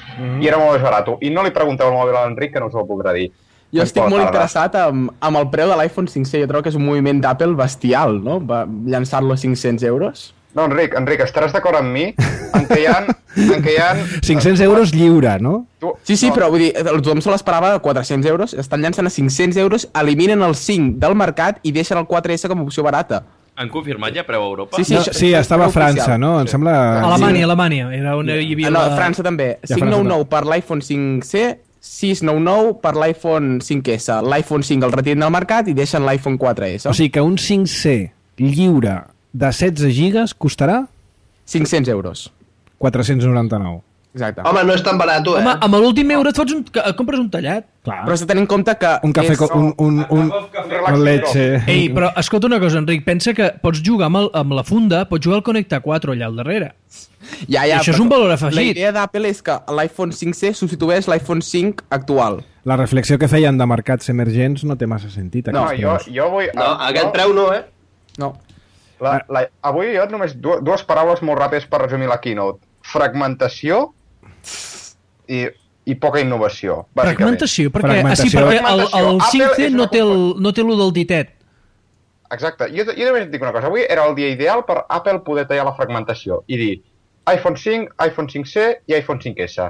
i era molt més barat. I no li pregunteu al mòbil a l'Enric, que no us ho podrà dir. Jo estic molt interessat amb el preu de l'iPhone 5C. Jo trobo que és un moviment d'Apple bestial, no? Va llançar-lo a 500 euros. No, Enric, estaràs d'acord amb mi en què hi ha... 500 euros lliure, no? Sí, però vull dir, tothom se l'esperava a 400 euros, estan llançant a 500 euros, eliminen el 5 del mercat i deixen el 4S com a opció barata. Han confirmat ja preu a Europa? Sí, estava a França, no? Em sembla... Alemanya. Era on hi havia... No, a França també. 599 per l'iPhone 5C, 699 per l'iPhone 5S. L'iPhone 5 el retiren del mercat i deixen l'iPhone 4S. O sigui que un 5C lliure de 16 gigas costarà? 500 euros. 499. Exacte. Home, no és tan barat, Home, amb l'últim euro et compres un tallat. Clar. Però has de tenir en compte que... Un cafè, un leche... Ei, però escolta una cosa, Enric, pensa que pots jugar amb la funda, pots jugar al Connecta 4 allà al darrere. Ja, I això és un valor afegit. La idea d'Apple és que l'iPhone 5C substitueix l'iPhone 5 actual. La reflexió que feien de mercats emergents no té massa sentit. No, jo vull... No, aquest preu no, eh? No. Avui jo només dues paraules molt ràpides per resumir la keynote. Fragmentació i poca innovació, bàsicament. Fragmentació? Perquè el 5C no té el del ditet. Exacte. Jo només et dic una cosa. Avui era el dia ideal per Apple poder tallar la fragmentació i dir iPhone 5, iPhone 5C i iPhone 5S.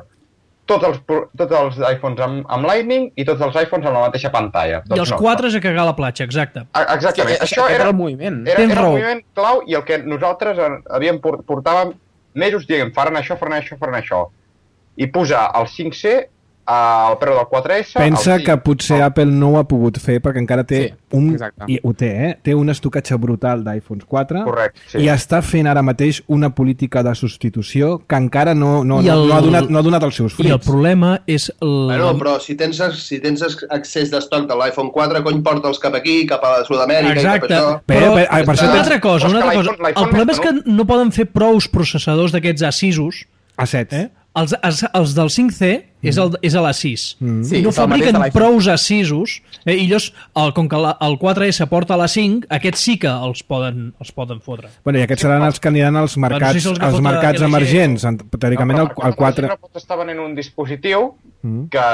Tots els iPhones amb Lightning i tots els iPhones amb la mateixa pantalla. I els 4 a cagar a la platja, exacte. Exactament. Això era el moviment. Era el moviment clau i el que nosaltres portàvem mesos dient faran això. I posar el 5C al preu del 4S... Pensa que potser Apple no ho ha pogut fer perquè encara té té un estocatge brutal d'iPhones 4. Correcte, sí. I està fent ara mateix una política de substitució que encara no ha donat els seus fruits. I el problema és... Bueno, però si tens accés d'estoc de l'iPhone 4, cony, porta'ls cap aquí, cap a Sud-amèrica i cap a això. Però una altra cosa. El problema és que no poden fer prous processadors d'aquests A6-os. A7. Els del 5C és a l'A6. Sí, no fabriquen prous A6-os i llavors, com que el 4S porta a l'A5, aquests sí que els poden fotre. Bueno, i aquests seran els que aniran als mercats emergents. Teòricament el 4... No pot estar venent un dispositiu que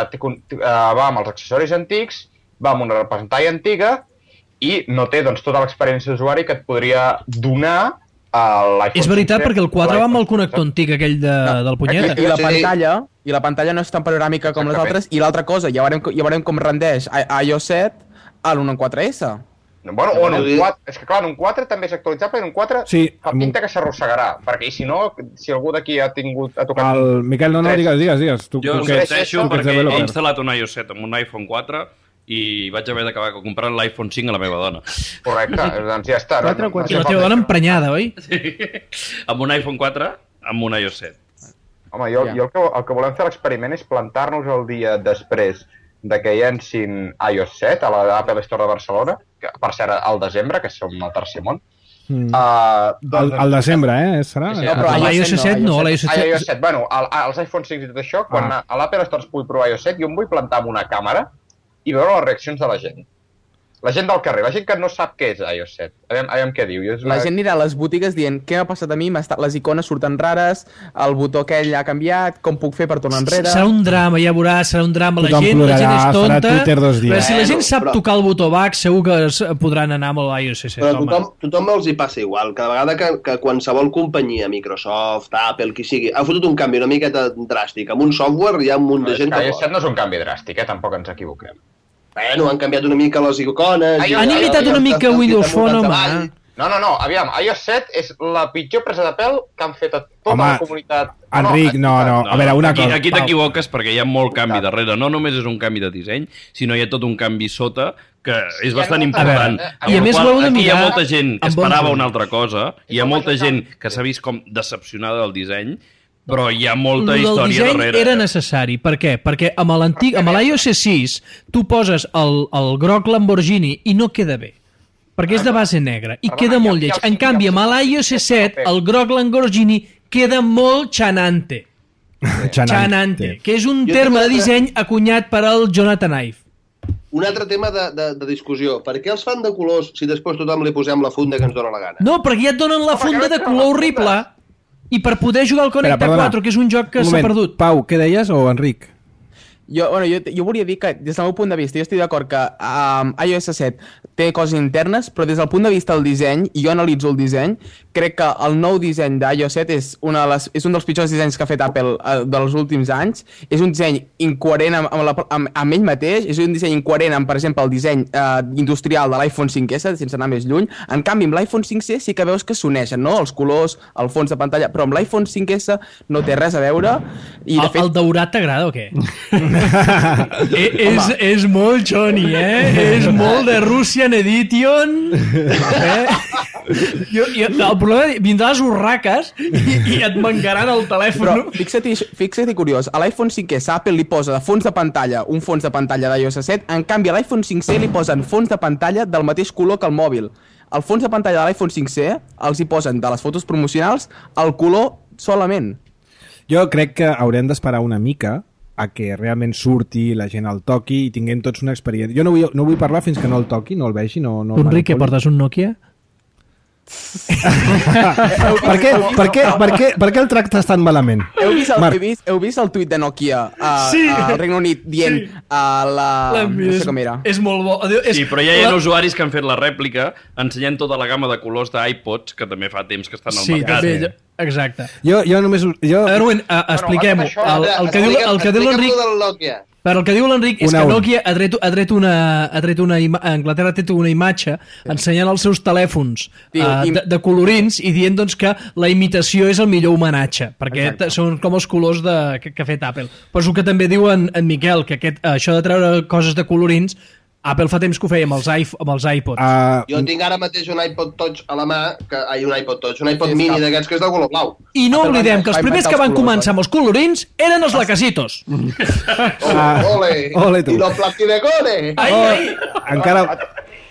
va amb els accessoris antics, va amb una pantalla antiga i no té tota l'experiència d'usuari que et podria donar és veritat, perquè el 4 va amb el connector antic aquell del punyeta. I la pantalla no és tan panoràmica com les altres. I l'altra cosa, ja veurem com rendeix iOS 7 a l'1.4S. Bueno, o en un 4, és que clar, en un 4 també és actualitzable, en un 4 fa pinta que s'arrossegarà, perquè si no, si algú d'aquí ha tocat... Miquel, no, digues. Jo em repeteixo perquè he instal·lat un iOS 7 amb un iPhone 4 i vaig haver d'acabar comprant l'iPhone 5 a la meva dona. Correcte, doncs ja està. I la teva dona emprenyada, oi? Sí, amb un iPhone 4, amb un iOS 7. Home, jo el que volem fer l'experiment és plantar-nos el dia després de que llencin iOS 7 a l'Apple Store de Barcelona, que per cert al desembre, que som al tercer món. Al desembre, serà? No, però l'iOS 7 no, l'iOS 7... Bueno, els iPhone 6 i tot això, quan a l'Apple Store es pugui provar iOS 7, jo em vull plantar amb una càmera i veure les reaccions de la gent. La gent del carrer, la gent que no sap què és iOS 7. Aviam què diu. La gent anirà a les botigues dient què m'ha passat a mi, les icones surten rares, el botó aquell ha canviat, com puc fer per tornar enrere... Serà un drama, ja veuràs, serà un drama. La gent és tonta, però si la gent sap tocar el botó back, segur que podran anar amb l'iOS 7. Però tothom els hi passa igual. Cada vegada que qualsevol companyia, Microsoft, Apple, qui sigui, ha fotut un canvi una miqueta dràstic amb un software, hi ha un munt de gent que... iOS 7 no és un canvi dràstic, tampoc ens equivoquem. Bueno, han canviat una mica les icones... Han imitat una mica Windows Phone, home. No, aviam, iOS 7 és la pitjor presa de pèl que han fet a tota la comunitat. Enric, no, a veure, una cosa... Aquí t'equivoques perquè hi ha molt canvi darrere. No només és un canvi de disseny, sinó hi ha tot un canvi sota que és bastant important. I a més ho heu de mirar... Aquí hi ha molta gent que esperava una altra cosa, hi ha molta gent que s'ha vist com decepcionada del disseny, però hi ha molta història darrere. El disseny era necessari. Per què? Perquè amb l'iOS 6 tu poses el groc Lamborghini i no queda bé. Perquè és de base negra i queda molt lleig. En canvi, amb l'iOS 7 el groc Lamborghini queda molt xanante. Xanante, que és un terme de disseny acunyat per al Jonathan Ive. Un altre tema de discussió. Per què els fan de colors si després tothom li posem la funda que ens dona la gana? No, perquè ja et donen la funda de color horrible. I per poder jugar al Connect Perdona. 4, que és un joc que s'ha perdut. Pau, què deies, o Enric? Jo volia dir que, des del meu punt de vista, jo estic d'acord que iOS 7 té coses internes, però des del punt de vista del disseny, i jo analitzo el disseny, crec que el nou disseny d'iOS 7 és un dels pitjors dissenys que ha fet Apple dels últims anys. És un disseny incoherent amb ell mateix, és un disseny incoherent amb, per exemple, el disseny industrial de l'iPhone 5S, sense anar més lluny. En canvi, amb l'iPhone 5C sí que veus que s'uneixen, no? Els colors, el fons de pantalla, però amb l'iPhone 5S no té res a veure. I, de fet... El daurat t'agrada o què? és molt Johnny, és molt de Russian Edition. El problema vindrà les urraques i et mancaran el telèfon. Però fixa-t'hi curiós, a l'iPhone 5S Apple li posa de fons de pantalla un fons de pantalla d'iOS 7, en canvi a l'iPhone 5C li posen fons de pantalla del mateix color que el mòbil. El fons de pantalla de l'iPhone 5C els hi posen de les fotos promocionals el color solament. Jo crec que haurem d'esperar una mica a que realment surti, la gent el toqui i tinguem tots una experiència. Jo no vull parlar fins que no el toqui, no el vegi, no Enric, que portes un Nokia? Per què el tractes tan malament? Heu vist el tuit de Nokia al Regne Unit dient no sé com era? És molt bo. Sí, però ja hi ha usuaris que han fet la rèplica ensenyant tota la gamma de colors d'iPods que també fa temps que estan al mercat. Sí, també, exacte. Jo només... Erwin, expliquem-ho. El que diu l'Enric... Però el que diu l'Enric és que Nokia a Anglaterra ha tret una imatge ensenyant els seus telèfons de colorins i dient doncs, que la imitació és el millor homenatge, perquè són com els colors que ha fet Apple. Però és el que també diu en Miquel, que això de treure coses de colorins Apple fa temps que ho feia amb els iPods. Jo tinc ara mateix un iPod Touch a la mà, un iPod mini d'aquests que és de color blau. I no oblidem que els primers que van començar amb els colorins eren els lacasitos. Ole, i los plastidecore! Encara...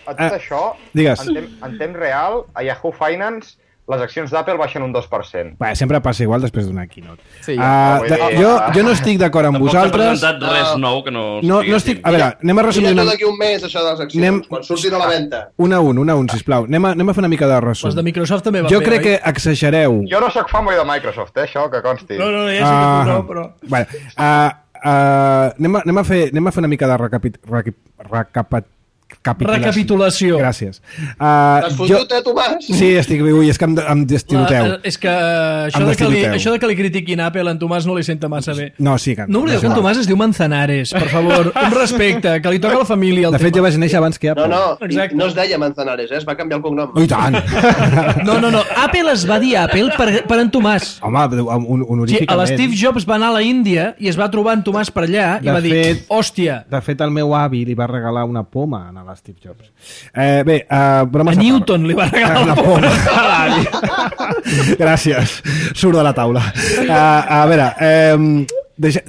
A tot això, en temps real, a Yahoo Finance, les accions d'Apple baixen un 2%. Bé, sempre passa igual després d'una keynote. Sí, jo no estic d'acord amb vosaltres. Tampoc s'ha presentat res nou que no estic... A veure, anem a resumir... Mira d'aquí un mes, això de les accions, quan surtin a la venda. Una a un, sisplau. Anem a fer una mica de resum. Les de Microsoft també van bé, crec que exagereu. Jo no sóc fanboy de Microsoft, això, que consti. No, ja sé que tu no, però... Bueno, anem a fer una mica de recapitulació. Gràcies. T'has fotut, Tomàs? Sí, és que em destiloteu. És que això de que li critiquin Apple, en Tomàs no li senta massa bé. No, sí que... No oblideu que en Tomàs es diu Manzanares, per favor, un respecte, que li toca a la família. De fet, jo vaig néixer abans que Apple. No es deia Manzanares, es va canviar el cognom. Oh, i tant! No, Apple es va dir Apple per en Tomàs. Home, honoríficament. L'Steve Jobs va anar a la Índia i es va trobar en Tomàs per allà i va dir, hòstia. De fet, el meu avi li va regalar una poma a l'Steve Jobs. A Newton li va regalar una poma. Gràcies. Surt de la taula. A veure,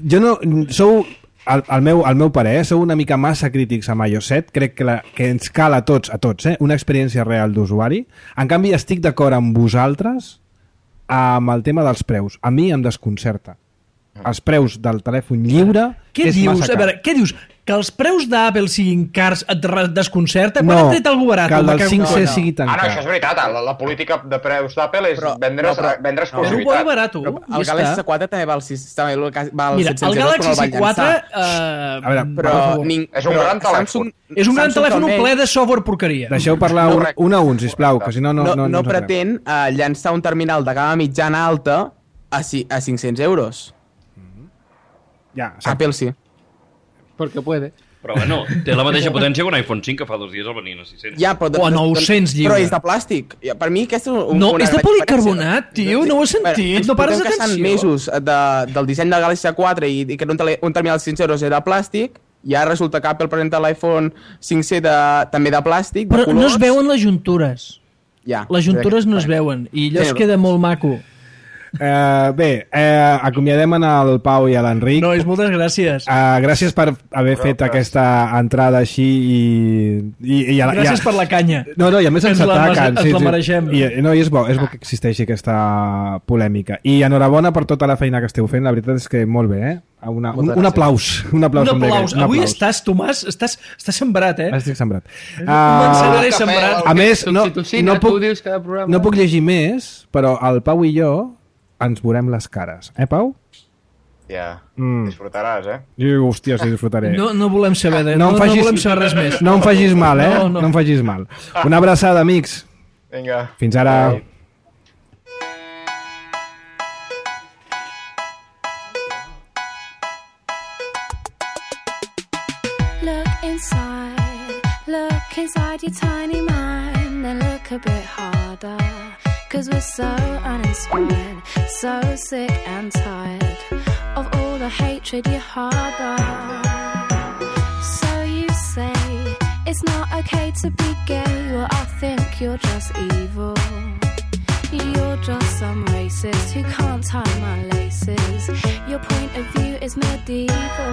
jo no... Sou... Al meu parer, sou una mica massa crítics amb iOS 7. Crec que ens cal a tots, una experiència real d'usuari. En canvi, estic d'acord amb vosaltres amb el tema dels preus. A mi em desconcerta. Els preus del telèfon lliure és massa car. A veure, què dius? Que els preus d'Apple siguin cars et desconcerta? Quan ha tret algú barat? Que el del 5C sigui tan car. No, això és veritat. La política de preus d'Apple és vendre exclusivitat. Però ho barat, el Galaxy S4 també val 700 Mira, el Galaxy S4... És un gran telèfon. És un gran telèfon ple de software porqueria. Deixeu parlar un a un, sisplau, que si no... No pretén llançar un terminal de gamma mitjana alta a 500 euros. Apple sí. Porque puede. Però bueno, té la mateixa potència que un iPhone 5 que fa 2 dies el venien a 600. Ja, però o a 900 lliure. Però és de plàstic. Per mi aquesta és no, és de policarbonat, tio, no ho he sentit, no pares d'atenció. Mesos del disseny del Galaxy A4 i que un terminal de 500 euros era de plàstic, i ara resulta que Apple presenta l'iPhone 5C també de plàstic, de colors. Però no es veuen les juntures. Ja. Les juntures no es veuen, i allò es queda molt maco. Acomiadem al Pau i a l'Enric. Nois, moltes gràcies. Gràcies per haver fet aquesta entrada així i gràcies per la canya. No, i a més ens ataquen. Ens la mereixem. I és bo que existeixi aquesta polèmica. I enhorabona per tota la feina que esteu fent. La veritat és que molt bé, un aplaus. Un aplaus. Avui estàs, Tomàs, estàs sembrat, Estic sembrat. Sembrat. A més, no puc llegir més, però el Pau i jo ens veurem les cares. Pau? Ja, disfrutaràs, Hòstia, sí, disfrutaré. No volem saber No volem saber res més. No em facis mal, No. No em facis mal. Una abraçada, amics. Vinga. Fins ara. Look inside your tiny mind and look a bit harder. 'Cause we're so uninspired, so sick and tired of all the hatred you harbor. So you say it's not okay to be gay. Well, I think you're just evil. You're just some racist who can't tie my laces. Your point of view is medieval.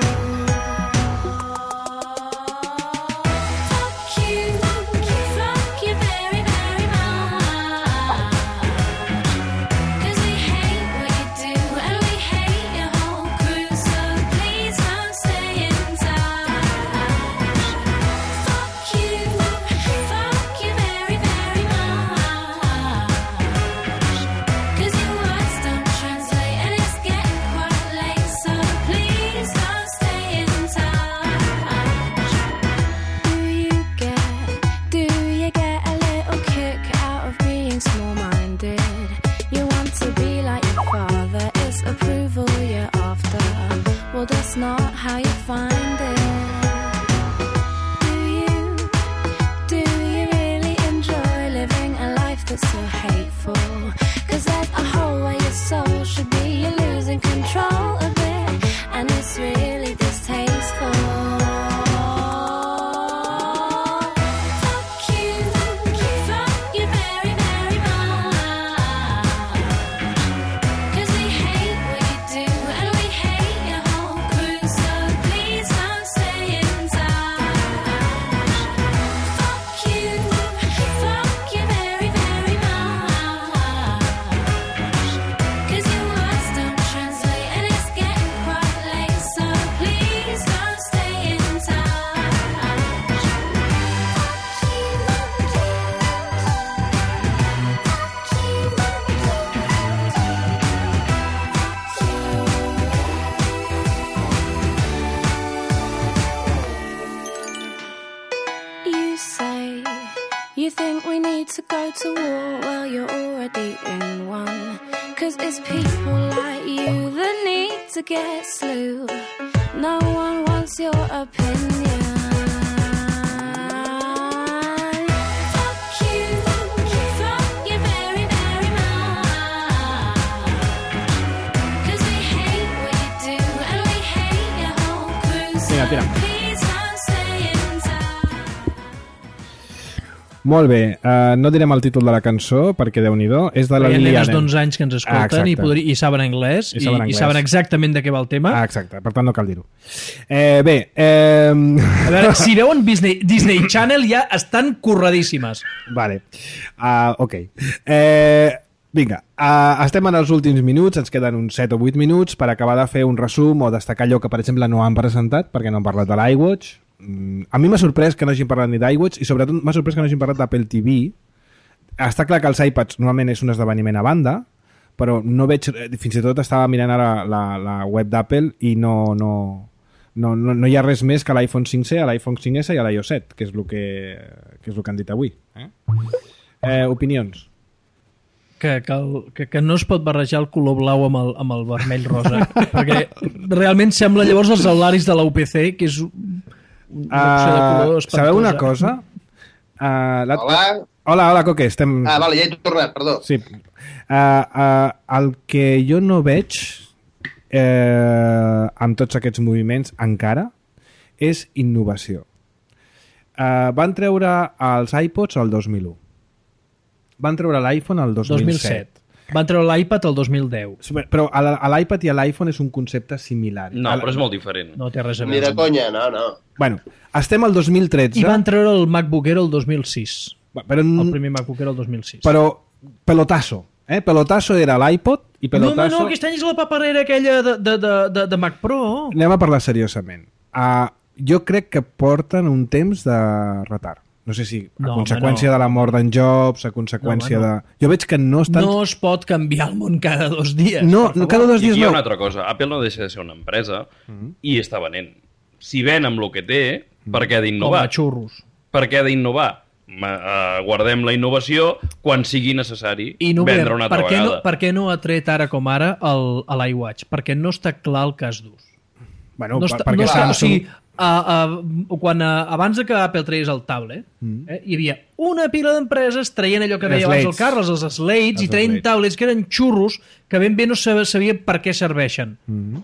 Well, that's not how you find it. Do you really enjoy living a life that's so hateful? 'Cause there's a hole where your soul should be. You're losing control a bit, and it's really distasteful. You think we need to go to war? Well, you're already in one. 'Cause it's people like you that need to get slew. No one wants your opinion. Fuck you very, very much. 'Cause we hate what you do and we hate your whole crew. So please don't stay in touch. Molt bé, no direm el títol de la cançó perquè Déu-n'hi-do, és de la Lily nenes Allen. d'11 anys que ens escolten i saben anglès i saben exactament de què va el tema. Exacte, per tant no cal dir-ho. A veure, si veuen Disney Channel ja estan curradíssimes. Vale, ok. Vinga, estem en els últims minuts, ens queden uns 7 o 8 minuts per acabar de fer un resum o destacar allò que, per exemple, no han presentat, perquè no han parlat de l'iWatch. A mi m'ha sorprès que no hagin parlat ni d'iWatch i sobretot m'ha sorprès que no hagin parlat d'Apple TV. Està clar que els iPads normalment és un esdeveniment a banda, però no veig, fins i tot estava mirant ara la web d'Apple i no hi ha res més que l'iPhone 5C, l'iPhone 5S i l'iOS 7, que és el que han dit avui. Opinions? Que no es pot barrejar el color blau amb el vermell rosa, perquè realment sembla llavors els aularis de la UPC, que és una opció de color espantosa. Sabeu una cosa? Hola, Coque, estem... Vale, ja he tornat, perdó. Sí. El que jo no veig amb tots aquests moviments encara és innovació. Van treure els iPods el 2001. Van treure l'iPhone el 2007. Van treure l'iPad el 2010. Però l'iPad i l'iPhone és un concepte similar. No, però és molt diferent. No té res a Ni veure. de conya, no. Bueno, estem al 2013. I van treure el MacBook Air el 2006. Però, el primer MacBook Air el 2006. Però pelotasso. Pelotasso era l'iPod i pelotasso... No, aquest any és la paperera aquella de Mac Pro. Anem a parlar seriosament. Jo crec que porten un temps de retard. No sé si a No, conseqüència home, no. de la mort d'en Jobs, a conseqüència No, home, de... Jo veig que no estan... No es pot canviar el món cada 2 dies. No, per favor. cada 2 I dies aquí hi ha no. una altra cosa. Apple no deixa de ser una empresa i està venent. Si ven amb el que té, per què ha Com d'innovar? a xurros. Per què ha d'innovar? Guardem la innovació quan sigui necessari vendre una altra vegada. Per què no ha tret ara com ara l'iWatch? Perquè no està clar el cas d'ús. Bueno, No està, perquè no està, o Samsung... sigui, abans de que Apple tregués el tablet, hi havia una pila d'empreses traient allò que deia abans el Slates. Carles, els Slates, i traient Slates. tablets que eren xurros que ben bé no sabia per què serveixen.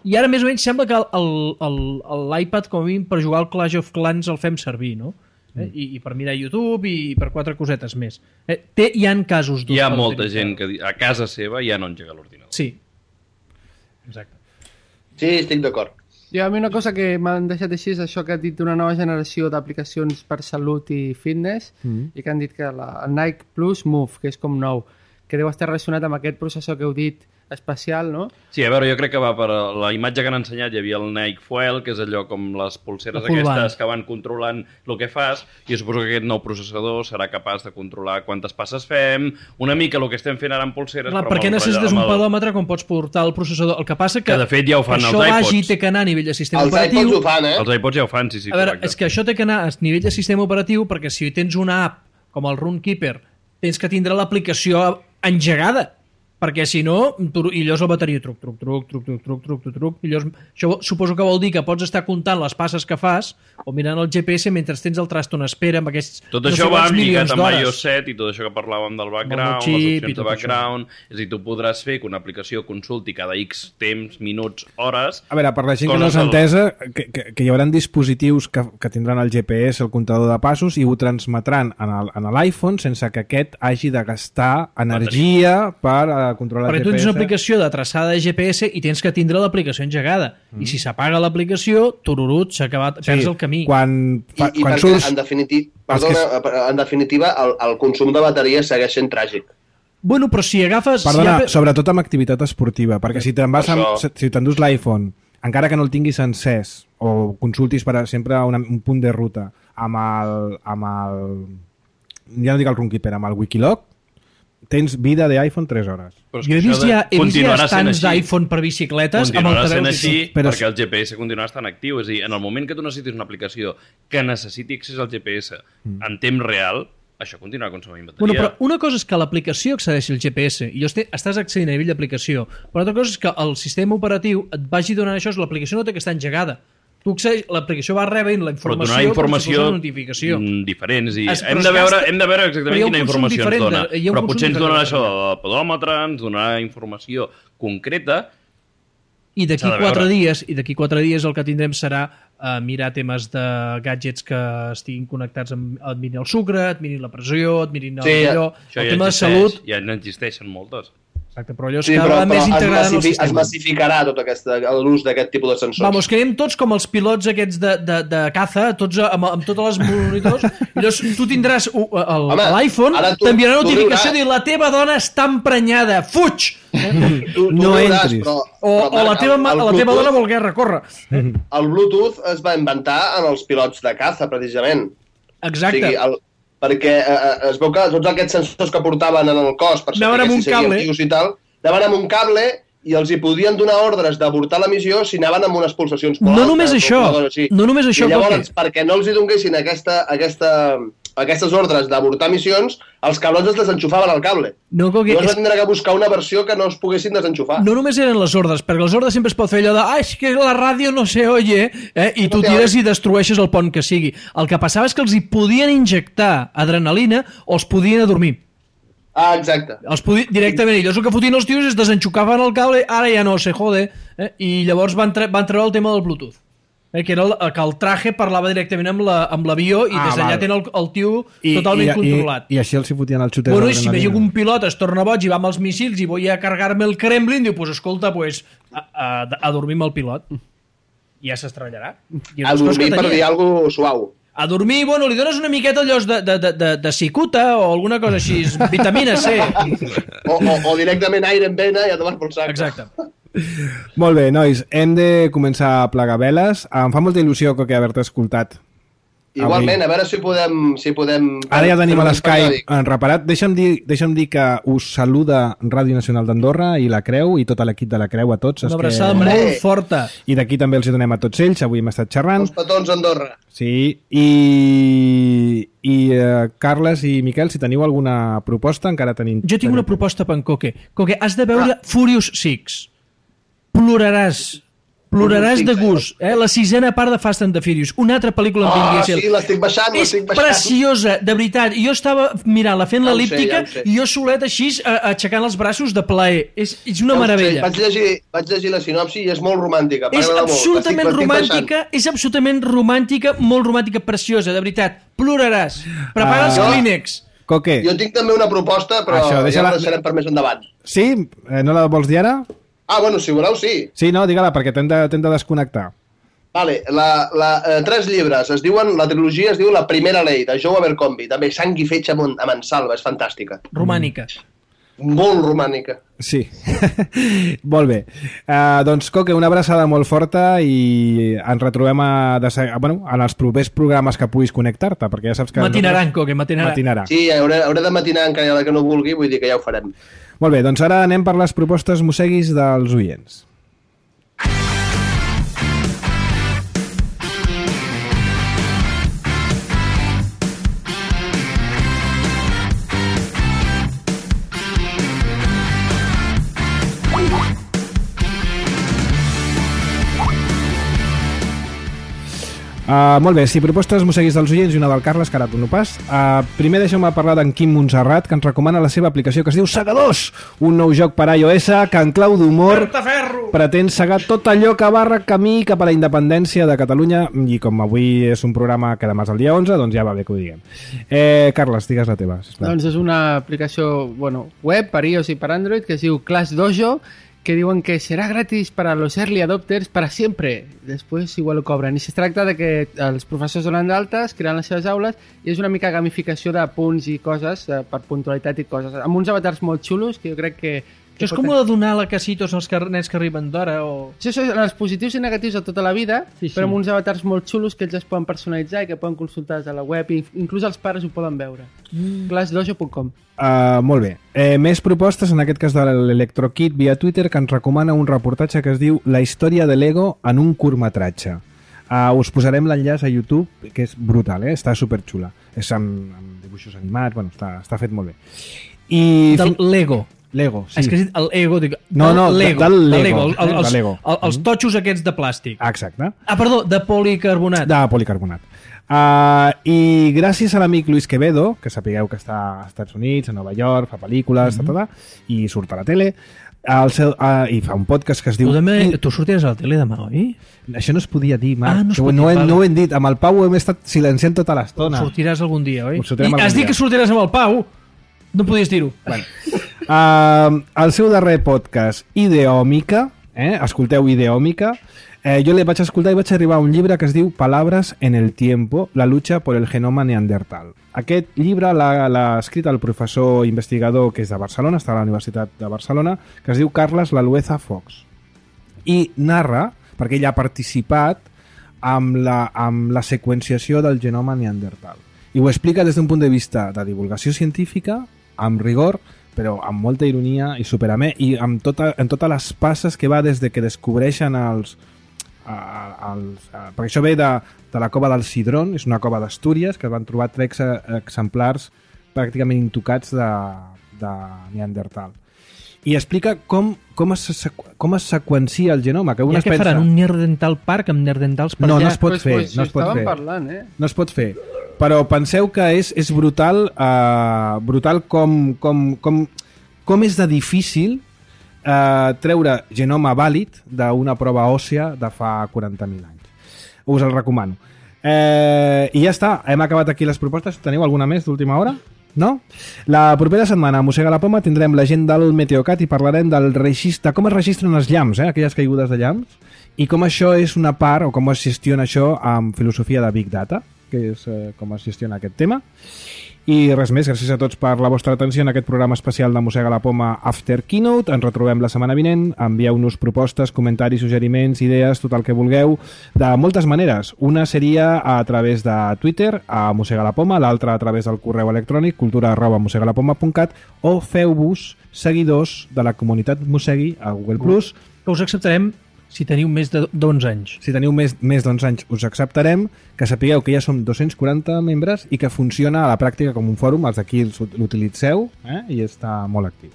I ara més o menys sembla que l'iPad, com a mínim, per jugar al Clash of Clans el fem servir, no? I per mirar YouTube i per 4 cosetes més. Hi ha casos d'ús. Hi ha per molta utilitzar. gent que a casa seva ja no engega l'ordinador. Sí. Exacte. Sí, estic d'acord. I a mi una cosa que m'han deixat així és això que ha dit d'una nova generació d'aplicacions per salut i fitness i que han dit que el Nike Plus Move, que és com nou, que deu estar relacionat amb aquest processor que heu dit especial, no? Sí, a veure, jo crec que va per la imatge que han ensenyat, hi havia el Nike Fuel, que és allò com les pulseres La full aquestes band. que van controlant el que fas, i jo suposo que aquest nou processador serà capaç de controlar quantes passes fem, una mica el que estem fent ara amb pulseres, Clar, però per què amb el necessites amb un el- pedòmetre quan pots portar el processador? El que passa que de fet ja ho fan això els iPods. vagi té que anar a nivell de sistema Els operatiu. iPods ho fan, eh? Els iPods ja ho fan, sí, sí, A veure, correcte. és que això té que anar a nivell de sistema operatiu perquè si tens una app com el Runkeeper tens que tindre l'aplicació engegada perquè si no, i llavors la bateria truc, i llavors, això suposo que vol dir que pots estar comptant les passes que fas o mirant el GPS mentre tens el trasto en espera amb aquests Tot no sé això va quants lligat milions amb d'hores. iOS 7 i tot això que parlàvem del background, chip les i opcions de tot background, és a dir, tu podràs fer que una aplicació consulti cada X temps, minuts, hores... A veure, per la gent que no coses s'ha del- entesa, que hi haurà dispositius que tindran el GPS, el comptador de passos, i ho transmetran en l'iPhone sense que aquest hagi de gastar energia per controlar Perquè el tu tens GPS. una aplicació de traçada de GPS i tens que tindre l'aplicació engegada. I si s'apaga l'aplicació, tururut, s'ha acabat, perds el camí. Quan I perquè, surts... en definitiva, el consum de bateria segueix sent tràgic. Bueno, però si agafes... Perdona, si sobretot amb activitat esportiva, perquè si te'n vas amb, Això. si t'endús l'iPhone, encara que no el tinguis encès, o consultis sempre un punt de ruta amb el ja no dic el Runkeeper, amb el Wikiloc, tens vida d'iPhone 3 hores. Però és Jo he que vist això ja continuarà sent estants així. d'iPhone per bicicletes amb Continuarà sent altaveus i així tot. Però- perquè el GPS continuarà estant actiu. És a dir, en el moment que tu necessitis una aplicació que necessiti accés al GPS en temps real, això continuarà consumint bateria. Bueno, però una cosa és que l'aplicació accedeixi al GPS i estàs accedint a nivell d'aplicació, però altra cosa és que el sistema operatiu et vagi donant això, l'aplicació no té que estar engegada. Tu accedeix, l'aplicació va rebent la Però informació, donar informació com si fos una notificació. Diferents. I Però hem es de veure gasta- exactament però hi ha un quina consum informació ens diferent dona. hi ha un Però consum potser ens diferent dona de això del pedòmetre, ens donarà informació concreta. I d'aquí S'ha de 4 veure. dies, el que tindrem serà mirar temes de gadgets que estiguin connectats amb et mirin el sucre, et mirin la pressió, et mirin allò, Això el ja tema de existeix, salut. Ja n'existeixen moltes. Exacte, però allò és Sí, cada però, vegada més integrada en el es sistema. massificarà tot l'ús d'aquest tipus de sensors. Vamos, que anem tots com els pilots aquests de caza, tots amb totes les monitors, i llavors tu tindràs l'iPhone, ara tu- t'enviarà tu notificació riuràs. de dir la teva dona està emprenyada, fuig! Tu No riuràs, entris. O la Marc, teva, el la teva Bluetooth- dona vol guerra, corre. El Bluetooth es va inventar en els pilots de caza, precisament. Exacte. O sigui, perquè es veu que tots aquests sensors que portaven en el cos per Anaven amb saber un si seguien cable. vius i tal, anaven amb un cable i els hi podien donar ordres d'avortar la missió si anaven amb unes pulsacions molt No altes només o això, alguna cosa així. no només això, I llavors, Coque. perquè no els hi donessin aquestes ordres d'avortar missions, els cablons es desenxufaven al cable. No, Coque, Llavors és- va tindre que buscar una versió que no es poguessin desenxufar. No només eren les ordres, perquè les ordres sempre es pot fer allò de és que la ràdio no se oye, i tu tires i destrueixes el pont que sigui. El que passava és que els hi podien injectar adrenalina o els podien adormir. Ah, exacte. Directament, i llavors el que fotien els tios és desenxucaven el cable, ara ja no se jode, i llavors van treure el tema del Bluetooth. Que era que el traje parlava directament amb l'avió i des d'allà val. tenen el tio totalment controlat. I així els hi fotien el xuter Bueno, i si d'adrenalina. veieu un pilot es torna boig i va amb els míssils i vull a cargar-me el Kremlin, diu, pues escolta, pues, a dormir amb el pilot. I ja s'estrellarà. I A dormir per dir alguna cosa suau. A dormir, bueno, li dones una miqueta allò de cicuta o alguna cosa així, vitamina C. O directament aire en vena i a tomar pel sac. Exacte. Molt bé, nois, hem de començar a plegar veles. Em fa molta il·lusió que haver-te escoltat Igualment, a veure si podem... Ara ja tenim a fer un l'Skype periòdic. reparat. Deixa'm dir que us saluda Ràdio Nacional d'Andorra i la Creu i tot l'equip de la Creu a tots. Una abraçada molt forta. I d'aquí també els hi donem a tots ells. Avui hem estat xerrant. Els petons a Andorra. Sí, Carles i Miquel, si teniu alguna proposta, encara tenim... Jo tinc una proposta per en Coque. Coque, has de veure Furious 6. Ploraràs de gust. La sisena part de Fast and the Furious. Una altra pel·lícula amb Vin Diesel. Sí, l'estic baixant, És preciosa, de veritat. Jo estava mirant-la fent l'elíptica i jo solet així aixecant els braços de plaer. És una meravella. Vaig llegir la sinopsi i és molt romàntica. És absolutament romàntica, molt romàntica, preciosa, de veritat. Ploraràs. Prepara els Kleenex. Coque. Jo tinc també una proposta, però ja la deixarem per més endavant. Sí? No la vols dir ara? Ah, bueno, si voleu, sí. Sí, no, digue-la, perquè t'hem de desconnectar. Vale, 3 llibres. Es diuen, la trilogia es diu La primera ley, de Joe Abercrombie. També sang i fetge a mansalva, és fantàstica. Romànica. Molt romànica. Sí. Molt bé. Doncs, Coque, una abraçada molt forta i ens retrobem en els propers programes que puguis connectar-te, perquè ja saps que... Matinaran, Coque, matinarà. Sí, hauré de matinar encara que no vulgui, vull dir que ja ho farem. Molt bé, doncs ara anem per les propostes mosseguis dels oients. Molt bé, sí, propostes mosseguis dels oients i una del Carles, que ara tu no pas. Primer deixeu-me parlar d'en Quim Montserrat, que ens recomana la seva aplicació que es diu Segadors, un nou joc per iOS que en clau d'humor pretén segar tot allò que barra camí cap a la independència de Catalunya, i com avui és un programa que demà és el dia 11, doncs ja va bé que ho diguem. Carles, digues la teva, sisplau. Doncs és una aplicació web per iOS i per Android que es diu Class Dojo, que diuen que serà gratis per a los early adopters para siempre. Després igual ho cobren. I es tracta de que els professors donen d'altes, creant les seves aules, i és una mica gamificació de punts i coses, per puntualitat i coses. Amb uns avatars molt xulos, que jo crec que... Això és com de donar la casitos als nens que arriben d'hora o... Sí, això són els positius i negatius de tota la vida, sí. Però amb uns avatars molt xulos que ells es poden personalitzar i que poden consultar des de la web, i inclús els pares ho poden veure. Glassdojo.com. Molt bé. Més propostes, en aquest cas de l'Electrokit via Twitter, que ens recomana un reportatge que es diu La història de Lego en un curtmetratge. Us posarem l'enllaç a YouTube, que és brutal, està superxula. És amb dibuixos animats, està fet molt bé. Del Lego. Lego, sí. És que has dit el Ego, dic... No, Lego. Del Lego. Els totxos aquests de plàstic. Exacte. Perdó, de policarbonat. De policarbonat. I gràcies a l'amic Luis Quevedo, que sapigueu que està als Estats Units, a Nova York, fa pel·lícules, i surt a la tele, i fa un podcast que es diu... Tu sortiràs a la tele demà, oi? Això no es podia dir, Marc. No ho hem dit. Amb el Pau hem estat silenciant tota l'estona. Sortiràs algun dia, oi? Has dit que sortiràs amb el Pau? No podies dir-ho. El seu darrer podcast, Ideòmica, escolteu Ideòmica, jo l'he vaig escoltar i vaig arribar a un llibre que es diu Palabras en el tiempo, la lucha por el genoma neandertal. Aquest llibre l'ha escrit el professor investigador que és de Barcelona, està a la Universitat de Barcelona, que es diu Carles Lalueza Fox. I narra, perquè ell ha participat amb la seqüenciació del genoma neandertal. I ho explica des d'un punt de vista de divulgació científica, amb rigor, però amb molta ironia i superamè, i amb totes les passes que va des de que descobreixen perquè això ve de la cova del Sidrón, és una cova d'Astúries, que van trobar 3 exemplars pràcticament intocats de Neandertal. I explica com es seqüencia el genoma. Que què faran? Un Neandertal Park amb Neandertals per allà? No, no es pot fer. No es pot fer. Però penseu que és brutal, brutal com és de difícil treure genoma vàlid d'una prova òssia de fa 40.000 anys. Us el recomano. I ja està, hem acabat aquí les propostes. Teniu alguna més d'última hora? No? La propera setmana a Mossega la Poma tindrem la gent del Meteocat i parlarem del registre, com es registren els llamps, aquelles caigudes de llamps, i com això és una part, o com es gestiona això amb filosofia de Big Data, que és com es gestiona aquest tema. I res més, gràcies a tots per la vostra atenció en aquest programa especial de Mossega la Poma After Keynote. Ens retrobem la setmana vinent. Envieu-nos propostes, comentaris, suggeriments, idees, tot el que vulgueu, de moltes maneres. Una seria a través de Twitter, a Mossega la Poma, l'altra a través del correu electrònic cultura@mossegalapoma.cat, o feu-vos seguidors de la comunitat Mossegui a Google+. Que us acceptarem si teniu més d'11 anys. Si teniu més d'11 anys us acceptarem, que sapigueu que ja som 240 membres i que funciona a la pràctica com un fòrum, els d'aquí l'utilitzeu i està molt actiu.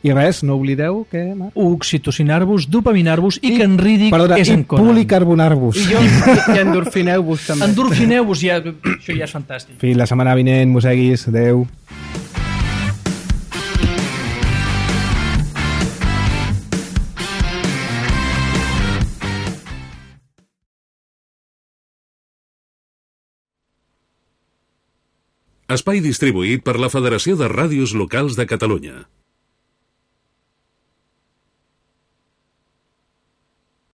I res, no oblideu que... Oxitocinar-vos, dopaminar-vos i que en Riddick és en Conan. I policarbonar-vos. I endorfineu-vos també. Endorfineu-vos, ja, això ja és fantàstic. Fins la setmana vinent, mosseguis. Adeu. Espai distribuït per la Federació de Ràdios Locals de Catalunya.